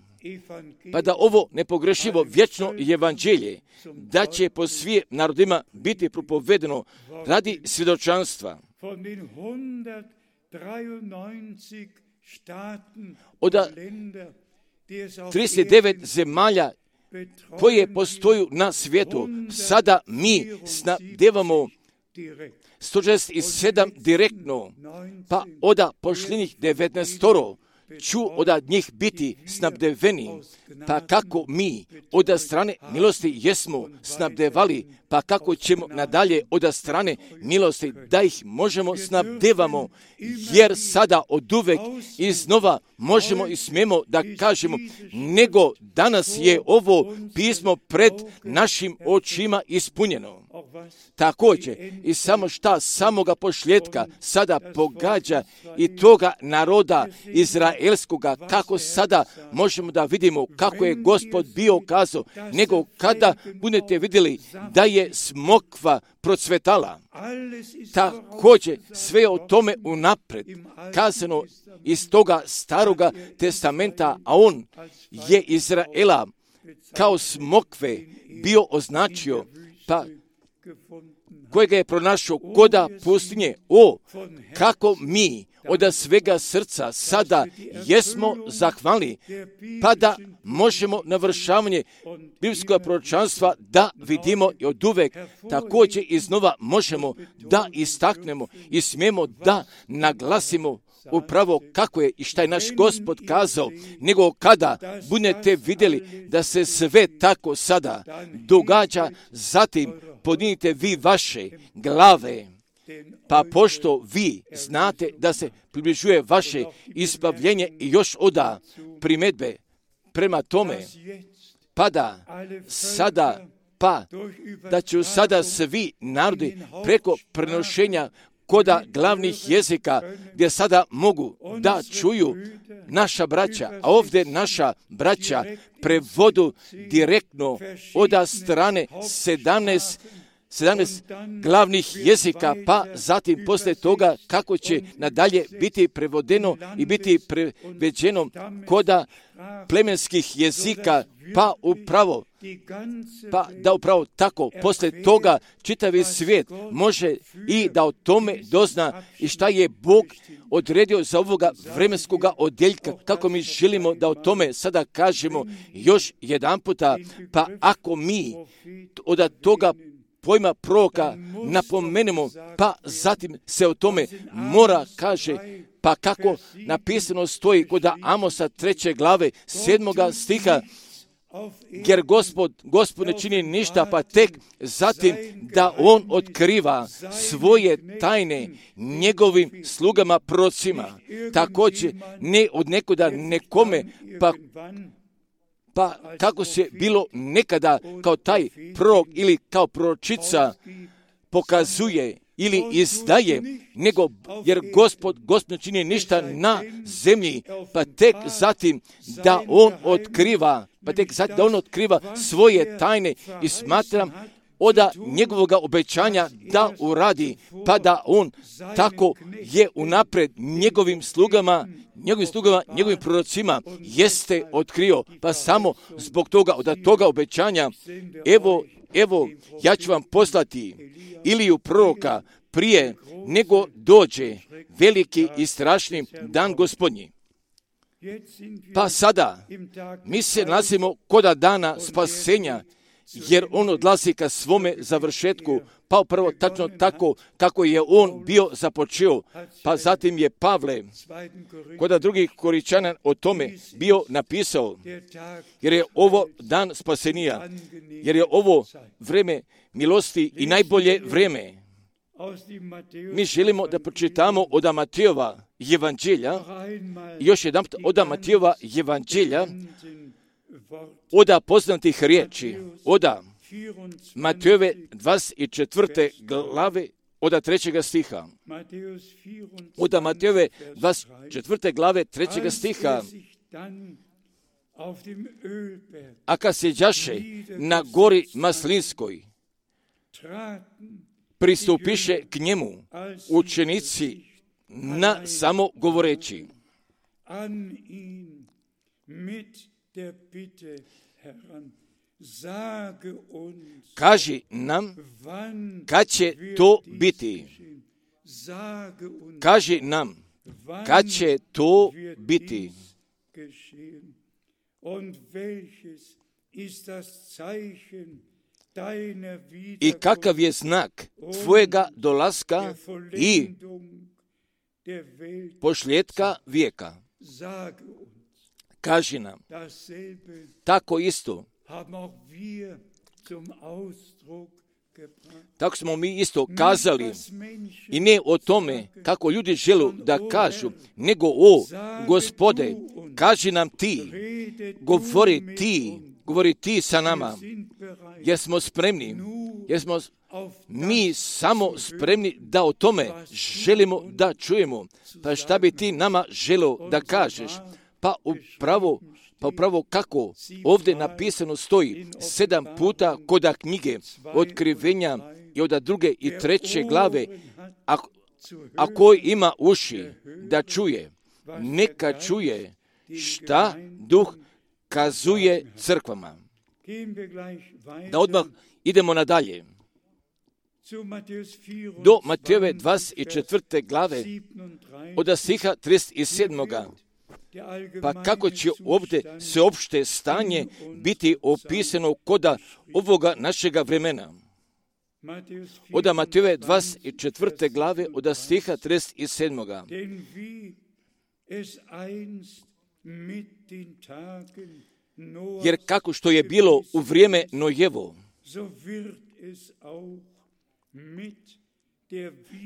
pa da ovo nepogrešivo vječno evanđelje, da će po svim narodima biti propovedeno radi svjedočanstva. Od trideset devet zemalja koje postoju na svijetu, sada mi snabdevamo sto šezdeset sedam direktno, pa od pošljenih devetnaest ću od njih biti snabdeveni, pa kako mi od strane milosti jesmo snabdevali, pa kako ćemo nadalje od strane milosti da ih možemo snabdevamo, jer sada od uvek iznova možemo i smijemo da kažemo, nego danas je ovo pismo pred našim očima ispunjeno. Također i samo šta samoga posljedka sada pogađa i toga naroda izraelskoga, kako sada možemo da vidimo kako je Gospod bio kazao, nego kada budete vidjeli da je smokva procvetala. Također sve o tome unapred kazano iz toga staroga testamenta, a on je Izraela kao smokve bio označio, pa kojega je pronašao koda pustinje. O, kako mi od svega srca sada jesmo zahvalni, pa da možemo navršavanje biblijskog proročanstva da vidimo i od uvek također iznova možemo da istaknemo i smijemo da naglasimo upravo kako je i šta je naš Gospod kazao, nego kada budete vidjeli da se sve tako sada događa, zatim podignite vi vaše glave, pa pošto vi znate da se približuje vaše izbavljenje i još oda primedbe prema tome, pa da sada, pa da će sada svi narodi preko prenošenja koda glavnih jezika, gdje sada mogu da čuju naša braća, a ovdje naša braća prevodu direktno od strane sedamnaest, sedamnaest glavnih jezika, pa zatim poslije toga kako će nadalje biti prevodeno i biti preveđeno koda plemenskih jezika, pa upravo Pa da upravo tako, poslije toga čitavi svijet može i da o tome dozna i šta je Bog odredio za ovoga vremenskoga odjeljka, kako mi želimo da o tome sada kažemo još jedan puta, pa ako mi od toga pojma proroka napomenemo, pa zatim se o tome mora kaže, pa kako napisano stoji kod Amosa treće glave sedmoga stiha, jer Gospod, Gospod ne čini ništa, pa tek zatim da on otkriva svoje tajne njegovim slugama prorocima. Također ne od nekoda nekome, pa, pa kako se bilo nekada kao taj prorok ili kao proročica pokazuje ili izdaje, nego jer Gospod, Gospod ne čini ništa na zemlji, pa tek zatim da on otkriva, pa tek zatim da on otkriva svoje tajne i smatram oda njegovoga obećanja da uradi, pa da on tako je unapred njegovim slugama, njegovim slugama, njegovim prorocima jeste otkrio, pa samo zbog toga, od toga obećanja, evo, evo, ja ću vam poslati Iliju proroka prije nego dođe veliki i strašni dan Gospodnji. Pa sada mi se nalazimo koda dana spasenja, jer on odlazi ka svome završetku, pa upravo tačno tako kako je on bio započeo, pa zatim je Pavle, koda drugih Koričana o tome bio napisao, jer je ovo dan spasenija, jer je ovo vreme milosti i najbolje vreme. Mi želimo da pročitamo od Matejova evanđelja, još jedan od Matejova evanđelja, oda poznatih riječi, oda Matejove dvadeset četvrte glave, oda trećega stiha. Oda Matejove dvadeset četvrte glave, trećega stiha. A kad se đaše na gori Maslinskoj, pristupiše k njemu učenici na samo govoreći. Kaži nam kad će to biti. Kaži nam kad će to biti. I kakav je znak tvojega dolaska i pošljetka vijeka. Kaži nam. Tako isto. Tako smo mi isto kazali i ne o tome kako ljudi žele da kažu, nego o Gospode, kaži nam ti, govori ti, govori ti sa nama, jer smo spremni, jer smo mi samo spremni da o tome želimo da čujemo. Pa šta bi ti nama želeo da kažeš? Pa upravo, pa upravo kako ovdje napisano stoji sedam puta koda knjige otkrivenja i od druge i treće glave, a, a koji ima uši da čuje, neka čuje šta duh kazuje crkvama. Da odmah idemo nadalje. Do Matejove dvadeset četvrte glave od stiha trideset sedam. Pa kako će ovdje sveopšte stanje biti opisano koda ovoga našega vremena? Od Matejove dvadeset četvrte glave od stiha trideset sedam. Jer kako što je bilo u vrijeme Nojevo,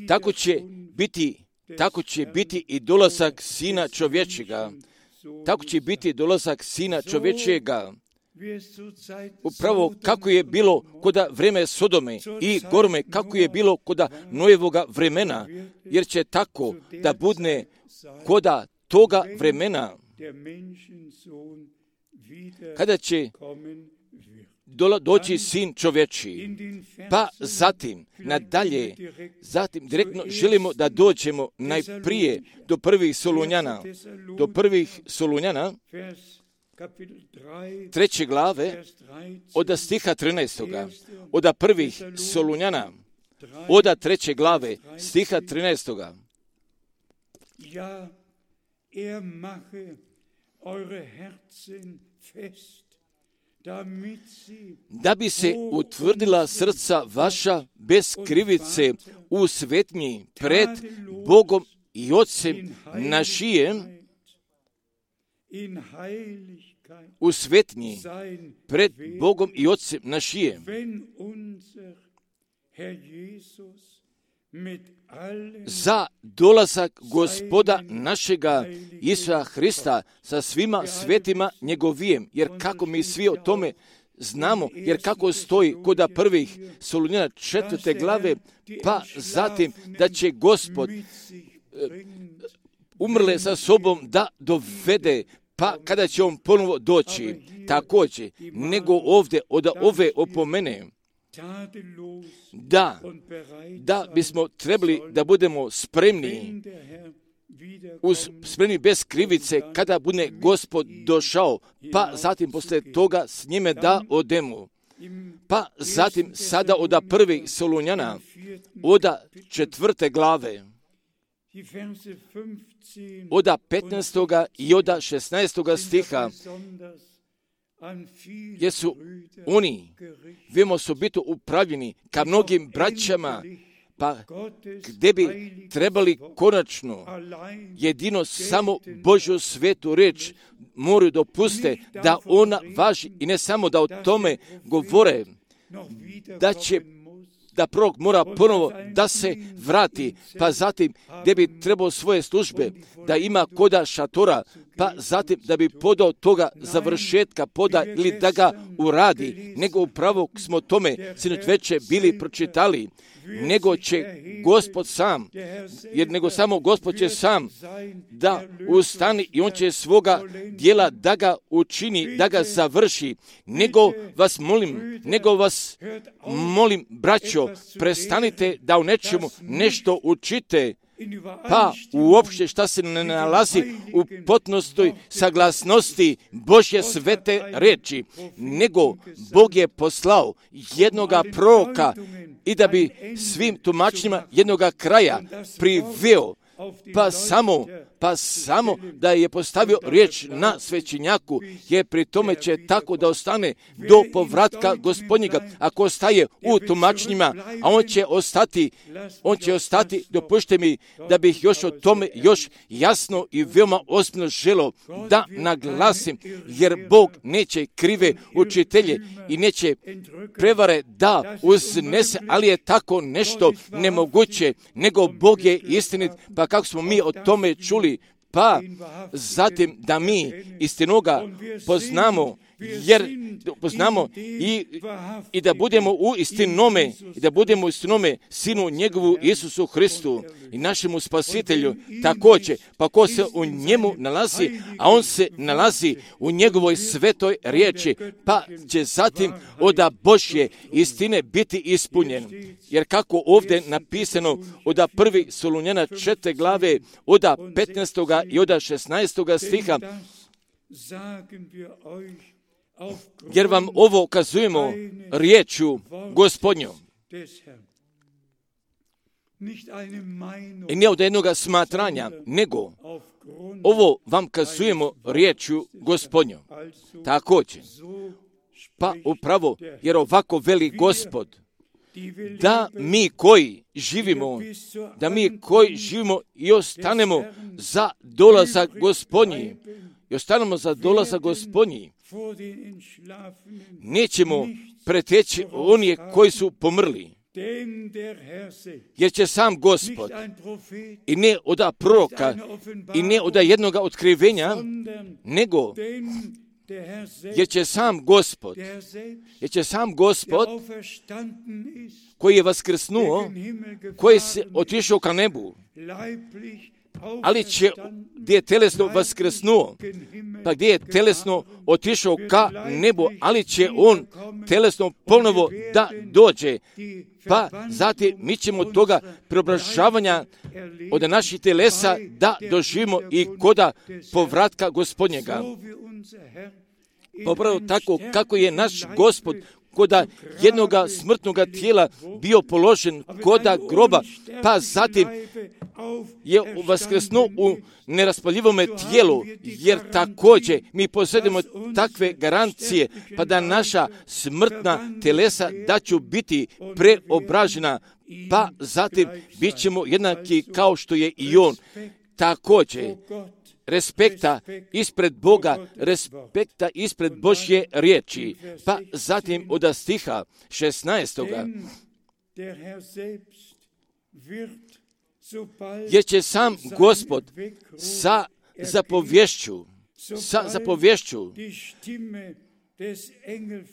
tako će biti Tako će biti i dolazak Sina čovječega. Tako će biti dolazak Sina čovječega. Upravo kako je bilo koda vreme Sodome i Gorome, kako je bilo koda Nojevoga vremena, jer će tako da budne koda toga vremena, kada će doći Sin čovječi. Pa zatim, nadalje, zatim direktno želimo da dođemo najprije do prvih Solunjana, do prvih Solunjana, treće glave, od stiha trinaestoga, od prvih Solunjana, od treće glave, stiha trinaestoga. Ja, er mache eure Herzen fest, da bi se utvrdila srca vaša bez krivice u svetnji pred Bogom i Otcem našijem, u svetnji pred Bogom i Otcem našijem. Za dolazak Gospoda našega Isusa Hrista sa svima svetima njegovijem, jer kako mi svi o tome znamo, jer kako stoji kod prvih Solunjana četvrte glave, pa zatim da će Gospod e, umrle sa sobom da dovede, pa kada će on ponovo doći, također, nego ovdje od ove opomene, da, da bismo trebali da budemo spremni, uz spremni bez krivice, kada bude Gospod došao, pa zatim poslije toga s njime da odemo. Pa zatim sada od prvih Solunjana, od četvrte glave, od petnaestoga i od šesnaestoga stiha, jer su oni, vemo, su biti upravljeni ka mnogim braćama, pa gdje bi trebali konačno jedino samo Božju svetu reč moraju dopuste da ona važi i ne samo da o tome govore, da će da prorok mora ponovo da se vrati, pa zatim gdje bi trebao svoje službe da ima koda šatora, pa zatim da bi podao toga završetka poda ili da ga uradi, nego upravo smo tome sinoć veče bili pročitali, nego će Gospod sam, jer nego samo Gospod će sam da ustani i on će svoga dijela da ga učini, da ga završi, nego vas molim, nego vas molim, braćo, prestanite da u nečemu nešto učite, pa uopšte šta se ne nalazi u potpunoj saglasnosti Božje svete reči, nego Bog je poslao jednoga proroka i da bi svim tumačenjima jednoga kraja priveo, pa samo, pa samo da je postavio riječ na svećenjaku, jer pri tome će tako da ostane do povratka Gospodnjega. Ako ostaje u tumačenjima, a on će ostati, on će ostati, dopušte mi da bih još o tome još jasno i veoma ozbiljno želio da naglasim, jer Bog neće krive učitelje i neće prevare da uznese, ali je tako nešto nemoguće, nego Bog je istinit, pa kako smo mi o tome čuli, pa zatim da mi istinoga poznamo, jer poznamo i, i da budemo u istinome, i da budemo u istinome Sinu njegovu Isusu Hristu i našemu Spasitelju također, pa ko se u njemu nalazi, a on se nalazi u njegovoj svetoj riječi, pa će zatim od Božje istine biti ispunjen. Jer kako ovdje napisano od prvi Solunjana četvrte glave, od petnaestoga i od šesnaestoga stiha, jer vam ovo kazujemo riječju Gospodnjom. I ne od jednoga smatranja, nego ovo vam kazujemo riječju Gospodnjom. Također, pa upravo, jer ovako veli Gospod, da mi koji živimo, da mi koji živimo i ostanemo za dolazak Gospodnji, i ostanemo za dolazak Gospodnji, nećemo preteći oni koji su pomrli, jer će sam Gospod, i ne od proroka, i ne od jednoga otkrivenja, nego jer će sam Gospod, jer će sam Gospod koji je vaskrsnuo, koji se otišao ka nebu, ali će, gdje je telesno vaskrsnuo, pa gdje je telesno otišao ka nebu, ali će on telesno ponovo da dođe, pa zatim mi ćemo toga preobražavanja od naših telesa da doživimo i koda povratka Gospodnjega. Upravo tako kako je naš Gospod koda jednoga smrtnoga tijela bio položen koda groba, pa zatim je vaskrsnuo u neraspaljivome tijelu, jer također mi posjedimo takve garancije, pa da naša smrtna telesa da će biti preobražena, pa zatim bit ćemo jednaki kao što je i on. Također, respekta ispred Boga, respekta ispred Božje riječi, pa zatim od stiha šesnaestoga. Jer će sam Gospod sa zapovješću, sa zapovješću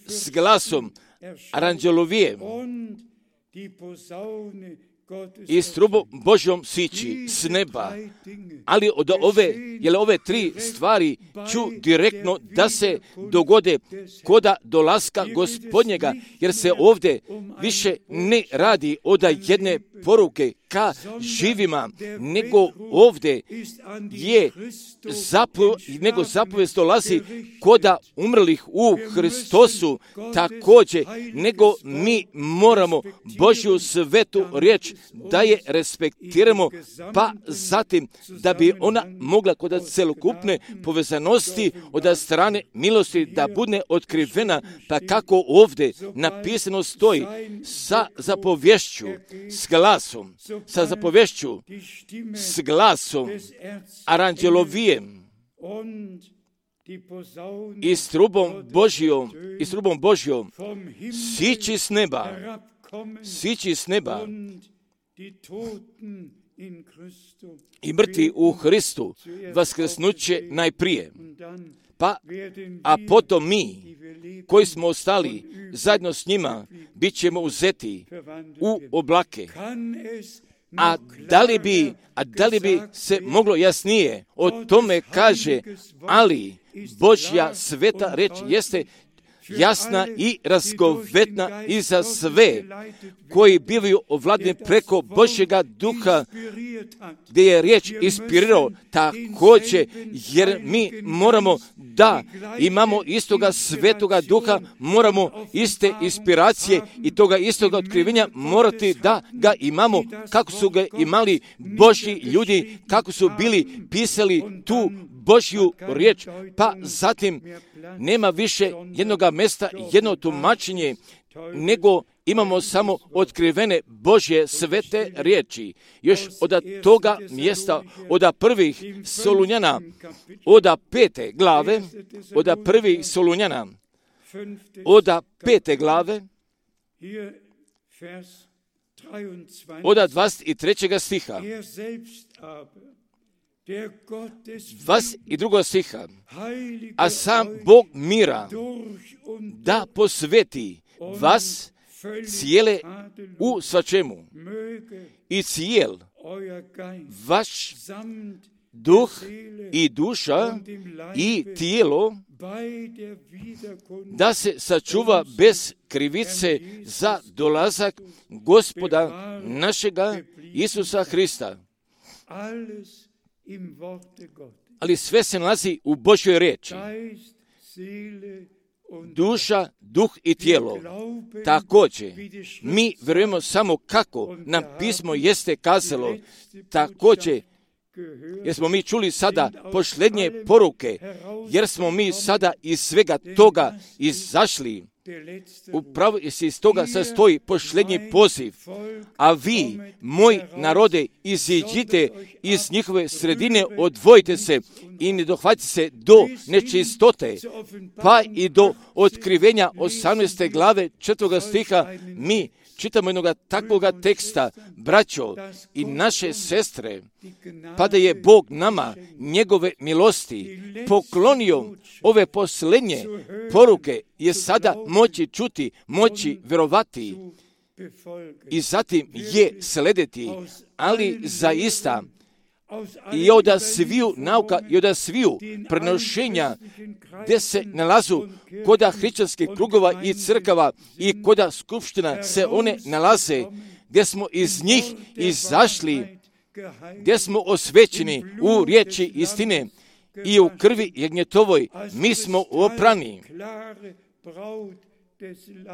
s glasom aranđelovije i s trubom Božjom sići s neba. Ali od ove, jer ove tri stvari ću direktno da se dogode koda dolaska Gospodnjega, jer se ovdje više ne radi od jedne poruke ka živima, nego ovdje je zapo, nego zapovijest dolazi koda umrlih u Hristosu, također, nego mi moramo Božju svetu riječ da je respektiramo, pa zatim da bi ona mogla kod celokupne povezanosti od strane milosti da bude otkrivena, pa kako ovdje napisano stoji, sa zapovješću, s glasom, sa zapovješću, s glasom aranđelovijem i s trubom Božjom, i s trubom Božjom, sići s neba, sići s neba, i mrtvi u Hristu vaskrsnuće najprije. Pa, a potom mi, koji smo ostali zajedno s njima, bit ćemo uzeti u oblake. A da li bi, a da li bi se moglo jasnije o tome kaže, ali Božja sveta reč jeste jasna i razgovetna i za sve koji bivaju ovladni preko Božjega duha, gdje je riječ inspirirao također, jer mi moramo da imamo istoga svetoga duha, moramo iste inspiracije i toga istoga otkrivenja morati da ga imamo kako su ga imali Božji ljudi, kako su bili pisali tu Božju riječ, pa zatim nema više jednoga mjesta, jedno tumačenje, nego imamo samo otkrivene Božje svete riječi. Još od toga mjesta, od prvih Solunjana, od pete glave, od prvih Solunjana, od pete glave, od dvadeset trećeg stiha, dvadeset drugog stiha, a sam Bog mira da posveti vas cijele u svačemu i cijel vaš duh i duša i tijelo da se sačuva bez krivice za dolazak Gospoda našega Isusa Hrista. Ali sve se nalazi u Božjoj riječi. Duša, duh i tijelo. Također, mi vjerujemo samo kako nam pismo jeste kazalo. Također, jer smo mi čuli sada posljednje poruke, jer smo mi sada iz svega toga izašli. Upravo se iz toga sastoji posljednji poziv, a vi, moj narode, iziđite iz njihove sredine, odvojite se i ne dohvatite se do nečistote, pa i do otkrivenja osamnaeste glave četvrtog stiha. Mi čitamo jednog takvoga teksta, braćo i naše sestre, pa da je Bog nama njegove milosti poklonio ove posljednje poruke, je sada moći čuti, moći vjerovati i zatim je slediti, ali zaista i od sviju nauka i od sviju prenošenja gdje se nalazu koda hrišćanskih krugova i crkava i koda skupština se one nalaze, gdje smo iz njih izašli, gdje smo osvećeni u riječi istine i u krvi jagnjetovoj, mi smo oprani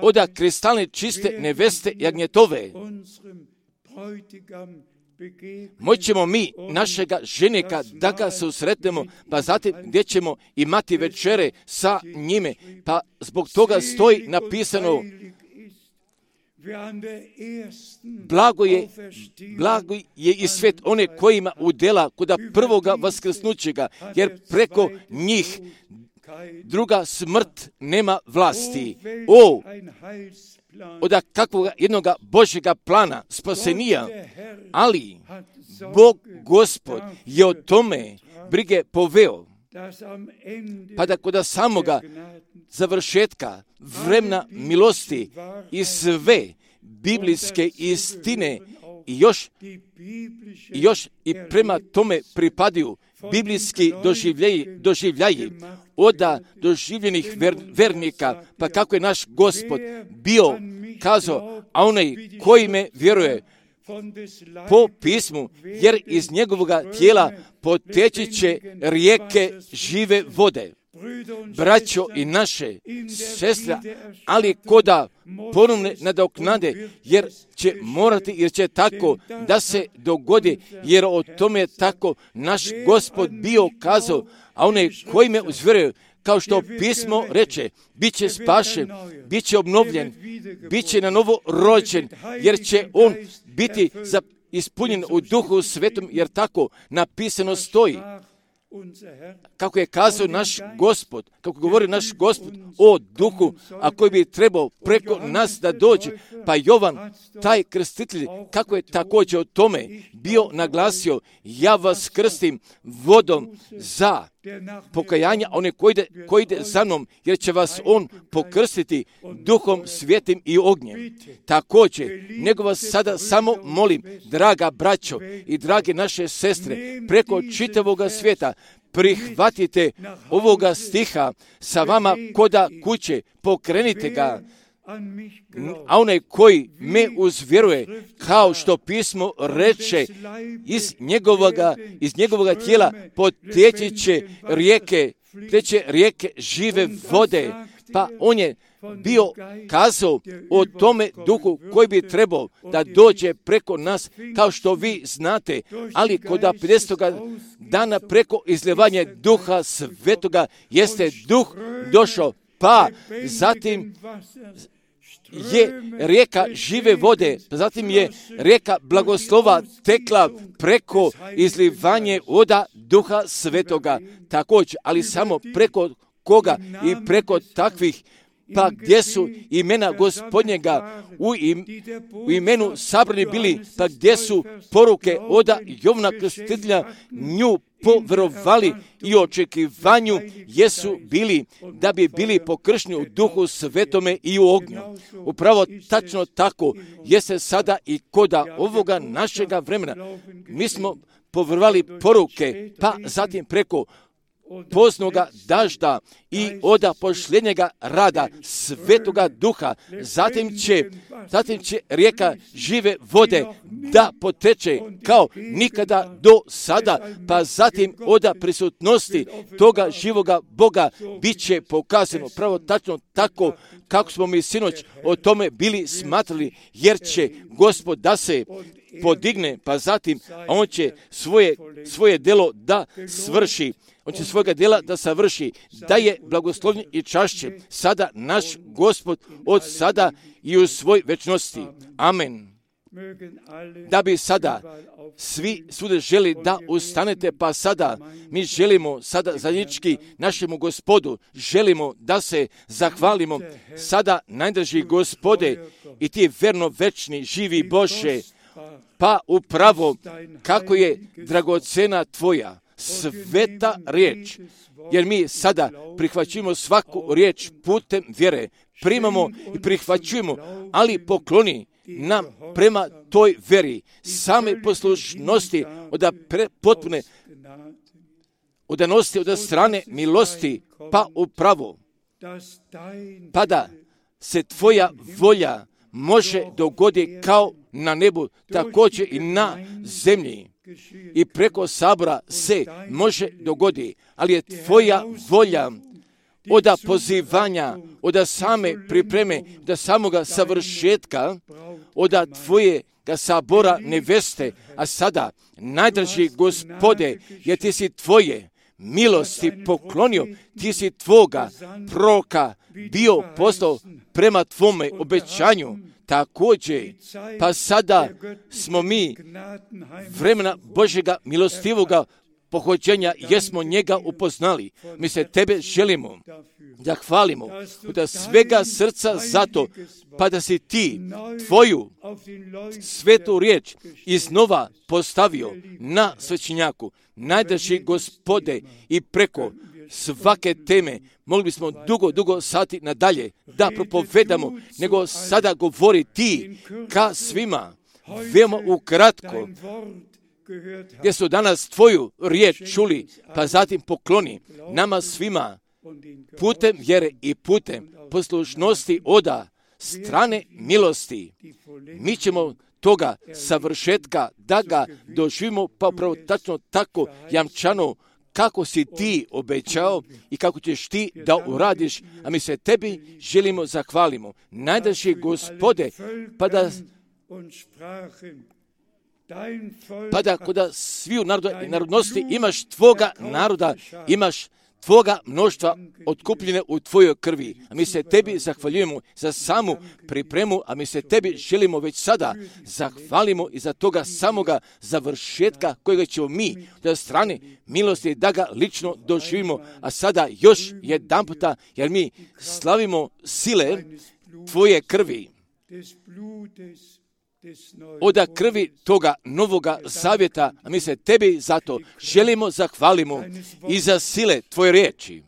od kristalne čiste neveste jagnjetove. Moćemo mi našega ženika da ga susretnemo, pa zatim gdje ćemo imati večere sa njime, pa zbog toga stoji napisano: Blago je, blago je i svet one kojima udjela koda prvoga vaskrsnućega, jer preko njih druga smrt nema vlasti. O, od kakvog jednoga Božjega plana spasenija, ali Bog Gospod je o tome brige poveo, pa da kod samoga završetka vremena milosti i sve biblijske istine i još, i još i prema tome pripadaju biblijski doživljaji, doživljaji oda doživljenih ver, vernika, pa kako je naš Gospod bio kazao, a onaj koji me vjeruje po pismu, jer iz njegovoga tijela poteći će rijeke žive vode. Braćo i naše sestre, ali koda ponovne nadoknade, jer će morati, jer će tako da se dogodi, jer o tome je tako naš Gospod bio kazao, a onaj koji me uzvjeruje, kao što pismo reče, bit će spašen, bit će obnovljen, bit će na novo rođen, jer će on biti za, ispunjen u Duhu Svetom, jer tako napisano stoji. Kako je kazao naš Gospod, kako govori naš Gospod o Duhu, a koji bi trebao preko nas da dođe, pa Jovan, taj krstitelj, kako je također o tome bio naglasio, ja vas krstim vodom za pokajanja, one koji ide, koji ide za mnom, jer će vas on pokrstiti Duhom Svetim i ognjem. Također, nego vas sada samo molim, draga braćo i drage naše sestre, preko čitavoga svijeta, prihvatite ovoga stiha sa vama koda kuće, pokrenite ga, a onaj koji me uzvjeruje, kao što pismo reče, iz njegovoga, iz njegovoga tijela poteći će rijeke, teče rijeke žive vode, pa on je bio kazao o tome Duhu koji bi trebao da dođe preko nas, kao što vi znate, ali kod pedesetoga dana preko izljevanja Duha Svetoga jeste Duh došao, pa zatim je rijeka žive vode, zatim je rijeka blagoslova tekla preko izlivanje voda Duha Svetoga također, ali samo preko koga i preko takvih, pa gdje su imena Gospodnjega u, im, u imenu sabrani bili, pa gdje su poruke oda Jovna Krstitelja nju poverovali i očekivanju jesu bili da bi bili pokršteni u Duhu Svetome i u ognju. Upravo tačno tako jeste sada i koda ovoga našega vremena. Mi smo poverovali poruke, pa zatim preko poznoga dažda i oda pošljenjega rada Svetoga Duha, zatim će, zatim će rijeka žive vode da poteče kao nikada do sada, pa zatim oda prisutnosti toga živoga Boga bit će pokazano pravo tačno tako kako smo mi sinoć o tome bili smatrali, jer će Gospod da se podigne, pa zatim on će svoje, svoje delo da svrši. On će svojega djela da savrši, da je blagoslovljen i čašće sada naš Gospod od sada i u svoj večnosti. Amen. Da bi sada svi svuda želi da ustanete, pa sada mi želimo sada zajednički našemu Gospodu, želimo da se zahvalimo sada najdraži Gospode i ti verno večni živi Bože, pa upravo kako je dragocena tvoja sveta riječ, jer mi sada prihvaćujemo svaku riječ putem vjere, primamo i prihvaćujemo, ali pokloni nam prema toj vjeri same poslušnosti od pre, potpune odanosti od strane milosti, pa upravo, pa da se tvoja volja može dogoditi kao na nebu, također i na zemlji. I preko sabora se može dogoditi, ali je tvoja volja od pozivanja, od same pripreme, od samoga savršetka, od tvojega sabora neveste, a sada, najdraži Gospode, jer ti si tvoje milosti poklonio, ti si tvoga proroka bio poslao prema tvome obećanju. Također, pa sada smo mi vremena Božjega milostivoga pohođenja, jesmo njega upoznali. Mi se tebe želimo da hvalimo da svega srca zato, pa da si ti tvoju svetu riječ iznova postavio na svećenjaku. Najdraži Gospode, i preko svake teme mogli bismo dugo, dugo sati nadalje da propovedamo, nego sada govori ti ka svima, veoma ukratko, gdje su danas tvoju riječ čuli, pa zatim pokloni nama svima putem vjere i putem poslušnosti oda strane milosti. Mi ćemo toga savršetka da ga doživimo, pa upravo tačno tako jamčano kako si ti obećao i kako ćeš ti da uradiš, a mi se tebi želimo zahvalimo. Najdraži Gospode, pa da pa da kod sviju naroda i narodnosti imaš tvoga naroda, imaš tvoga mnoštva otkupljene u tvojoj krvi. A mi se tebi zahvaljujemo za samu pripremu, a mi se tebi želimo već sada zahvalimo i za toga samoga završetka kojega ćemo mi od strane milosti da ga lično doživimo. A sada još jedan puta, jer mi slavimo sile tvoje krvi, oda krvi toga novoga zavjeta, a mi se tebi zato želimo zahvalimo i za sile tvoje riječi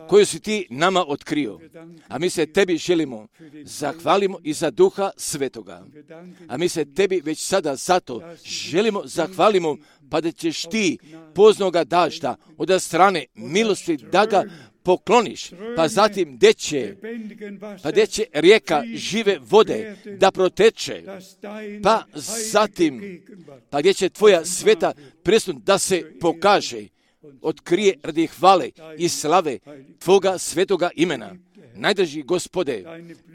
koju si ti nama otkrio. A mi se tebi želimo zahvalimo i za Duha Svetoga. A mi se tebi već sada zato želimo zahvalimo, pa da ćeš ti poznoga dažda od strane milosti da ga pokloniš, pa zatim gdje će, pa gdje će rijeka žive vode da proteče, pa zatim, pa gdje će tvoja sveta prisutnost da se pokaže, otkrije radi hvale i slave tvoga svetoga imena. Najdraži Gospode,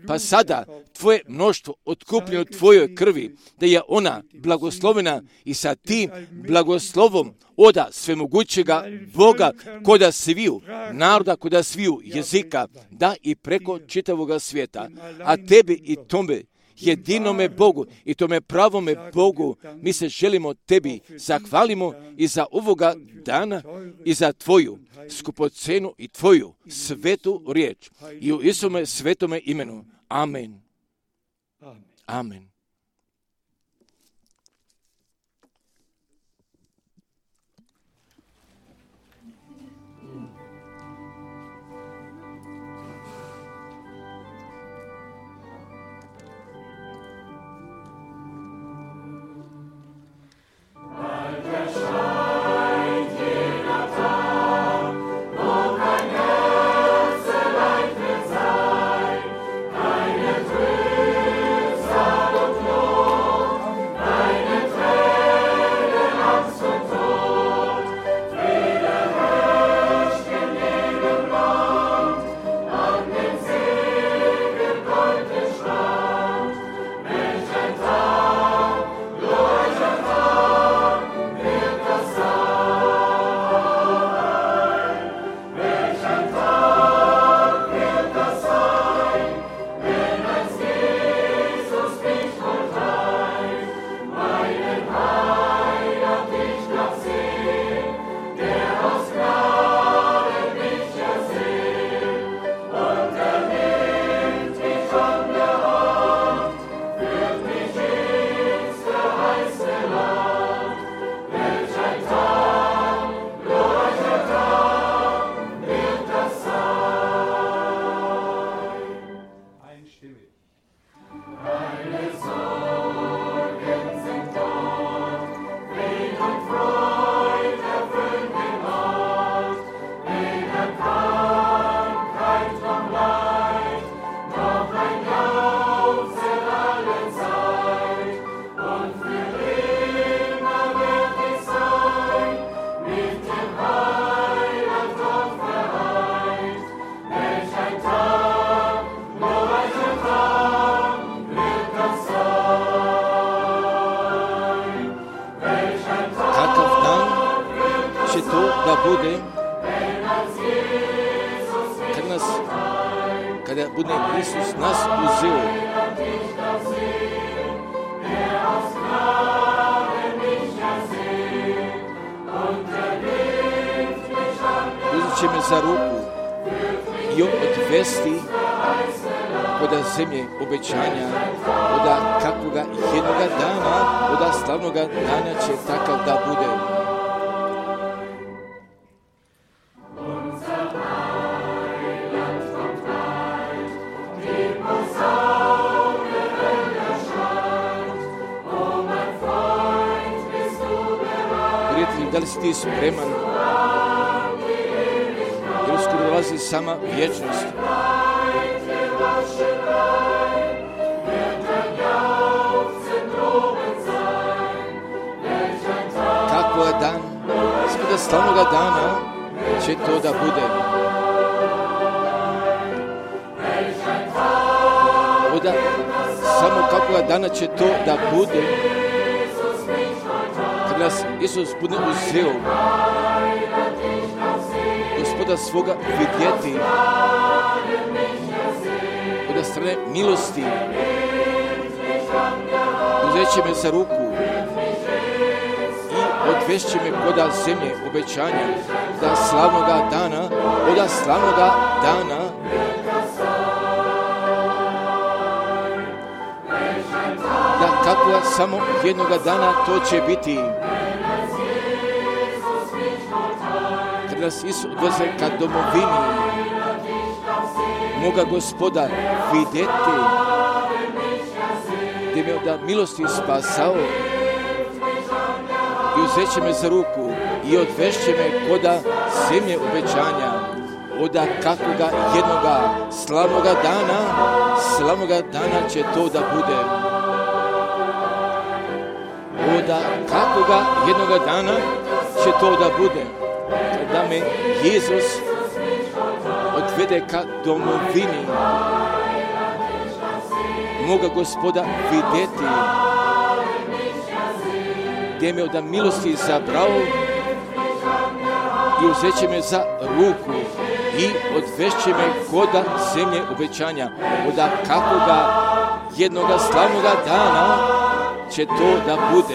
pa sada tvoje mnoštvo otkupljeno u tvojoj krvi, da je ona blagoslovena i sa tim blagoslovom oda svemogućega Boga koda sviju naroda, koda sviju jezika, da i preko čitavoga svijeta. A tebi i tome jedinome Bogu i tome pravome Bogu mi se želimo tebi zahvalimo i za ovoga dana i za tvoju skupocenu i tvoju svetu riječ i u Isume svetome imenu. Amen. Amen. bude, kad nas, kada bude Isus nas uzeo, Der aus Gnaden mich ersehen. uzet me za ruku i odvesti oda zemlje obećanja, oda kakvoga jednoga dana, oda slavnoga dana će takav da bude. Prijatelji, da li si ti spreman? Jer uskoro dolazi sama vječnost. Kako je dan, svoga slavnoga dana će to da bude. Oda, samo kakvoga dana će to da bude, kad nas Isus bude uzeo, Gospoda svoga vidjeti, od strane milosti, uzet će me za ruku i odvešće me koda zemlje obećanja, da slavnoga dana, oda slavnoga dana, da kako samo jednoga dana to će biti. Kad nas Isus odveze ka domovini, moga Gospoda vidjeti, gdje me od milosti spasao i uzet će me za ruku i odvešće me koda zemlje obećanja, oda kakvoga jednoga slavnoga dana, slavnoga dana će to da bude. Oda kakvoga jednoga dana će to da bude, da me Jezus odvede ka domovini, moga Gospoda vidjeti, gdje me od milosti zabrao i uzet će me za ruku i odvešće me koda zemlje obećanja, oda kakvoga jednoga slavnoga dana će to da bude.